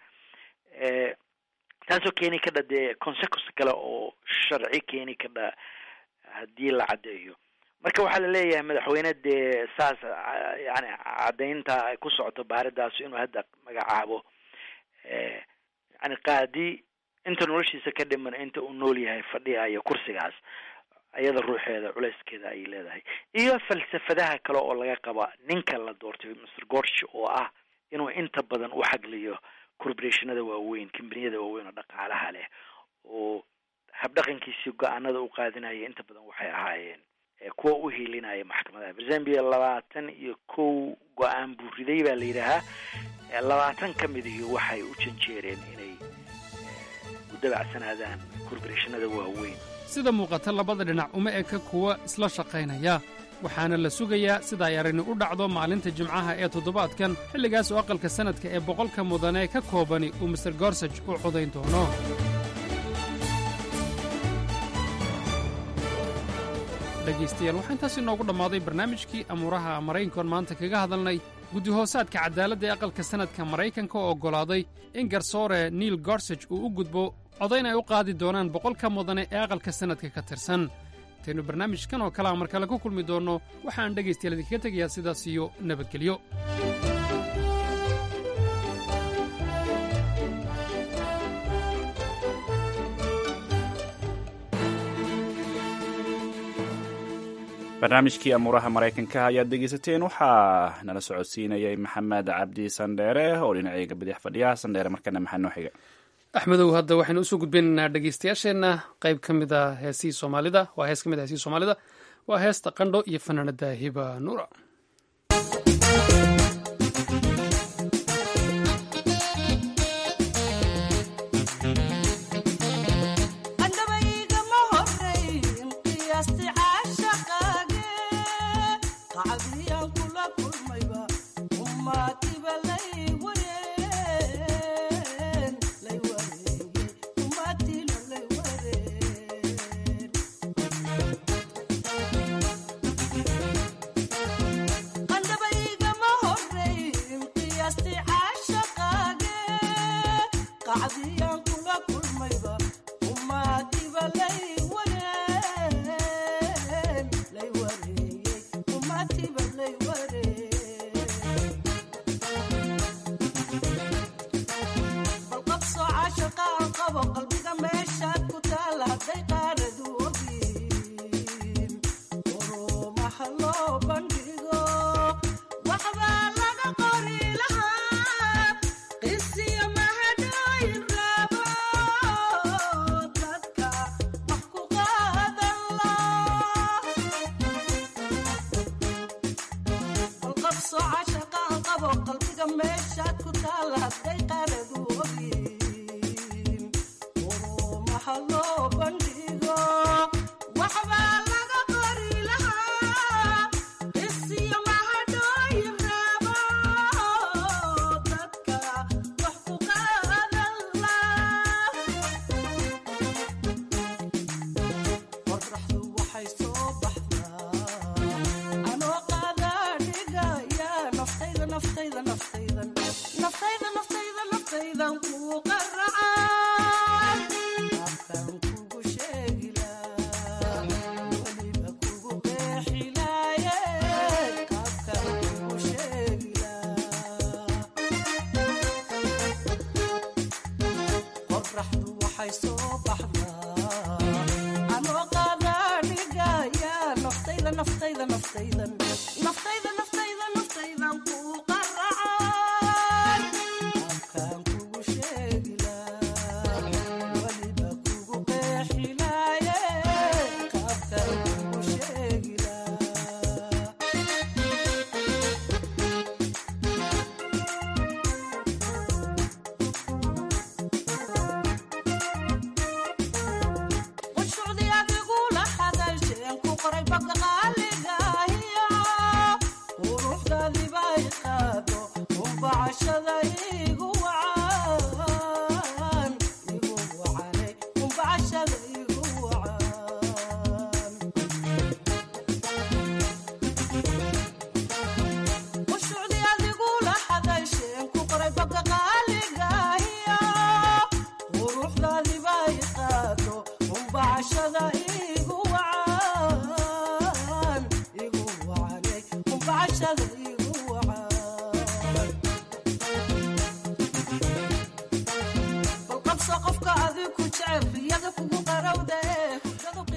taasoo keeni kadha dee consequence kale oo sharci keeni kadha haddii la caddeeyo. Marka waxaa laleeyahay madaxweyne dee saas yani caddaynta ay ku socoto baaridaas inuu hadda magacaabo yani qaadi inta noloshiisa ka dhiman, inta uu nool yahay fadhiyayo kursigaas, iyada ruuxeeda culeyskeeda ayay leedahay. Iyo falsafadaha kale oo laga qaba ninka la doortay, Mr Gorsuch, oo ah inuu inta badan u xagliyo corporationada waaweyn, kambaniyada waaweyn oo dhaqaalaha leh, oo habdhaqankiisii go-aanada u qaadinaya inta badan waxay ahaayeen kuwa u hiilinaya maxkamadaha. Zambia 21 go-aan buu riday baa la yidhaahaa, 20 ka midihi waxay u janjeereen inay u dabacsanaadaan corporationada waaweyn. Sida muuqata, labada dhinac uma eka kuwa isla shaqaynaya, waxaana la sugayaa sida ay arrini u dhacdo maalinta Jimcaha ee toddobaadkan, xilligaas oo aqalka sanadka ee 100-ka mudane ka koobani uu Mister Gorsuch u codayn doono. Dhegaystayaal, waxaa intaas inoogu dhammaaday barnaamijkii amuuraha Maraykankoon maanta kaga hadalnay guddi hoosaadka cadaaladda ee aqalka sanadka Maraykanka oo oggolaaday in garsoore Neil Gorsuch uu u gudbo codayn ay u qaadi doonaan 100-ka mudane ee aqalka sanadka ka tirsan. Intaynu barnaamijkan oo kalea mar kale ku kulmi doonno, waxaan dhegaystayaal idinkaga tegayaa sidaas iyo nabadgelyo. Barnaamijkii amuuraha Maraykanka ayaad dhegeysateen. Waxaa nala socodsiinayay Maxamed Cabdi Sandheere oo dhinacayga bidix fadhiya. Sandheere, markana maxaa noo xiga? Axmedow, hadda waxaynu usoo gudbinaynaa dhegeystayaasheenna qayb ka mid a heesihii Soomaalida. Waa hees ka mid a heesihii Soomaalida, waa heesta Qandho iyo fanaanada Hiba Nuura.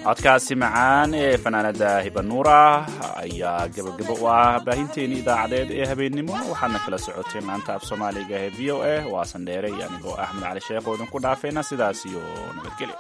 Codkaasi macaan ee fanaanada Hibanuura ayaa gabagabo u ah baahinteeni idaacadeed ee habeennimo. Waxaadna kala socoteen laanta af Soomaaliga ee VOA. Waa Sandheere iyo anigoo Axmed Cali Sheekh oo idinku dhaafayna sidaas iyo nabadgelyo.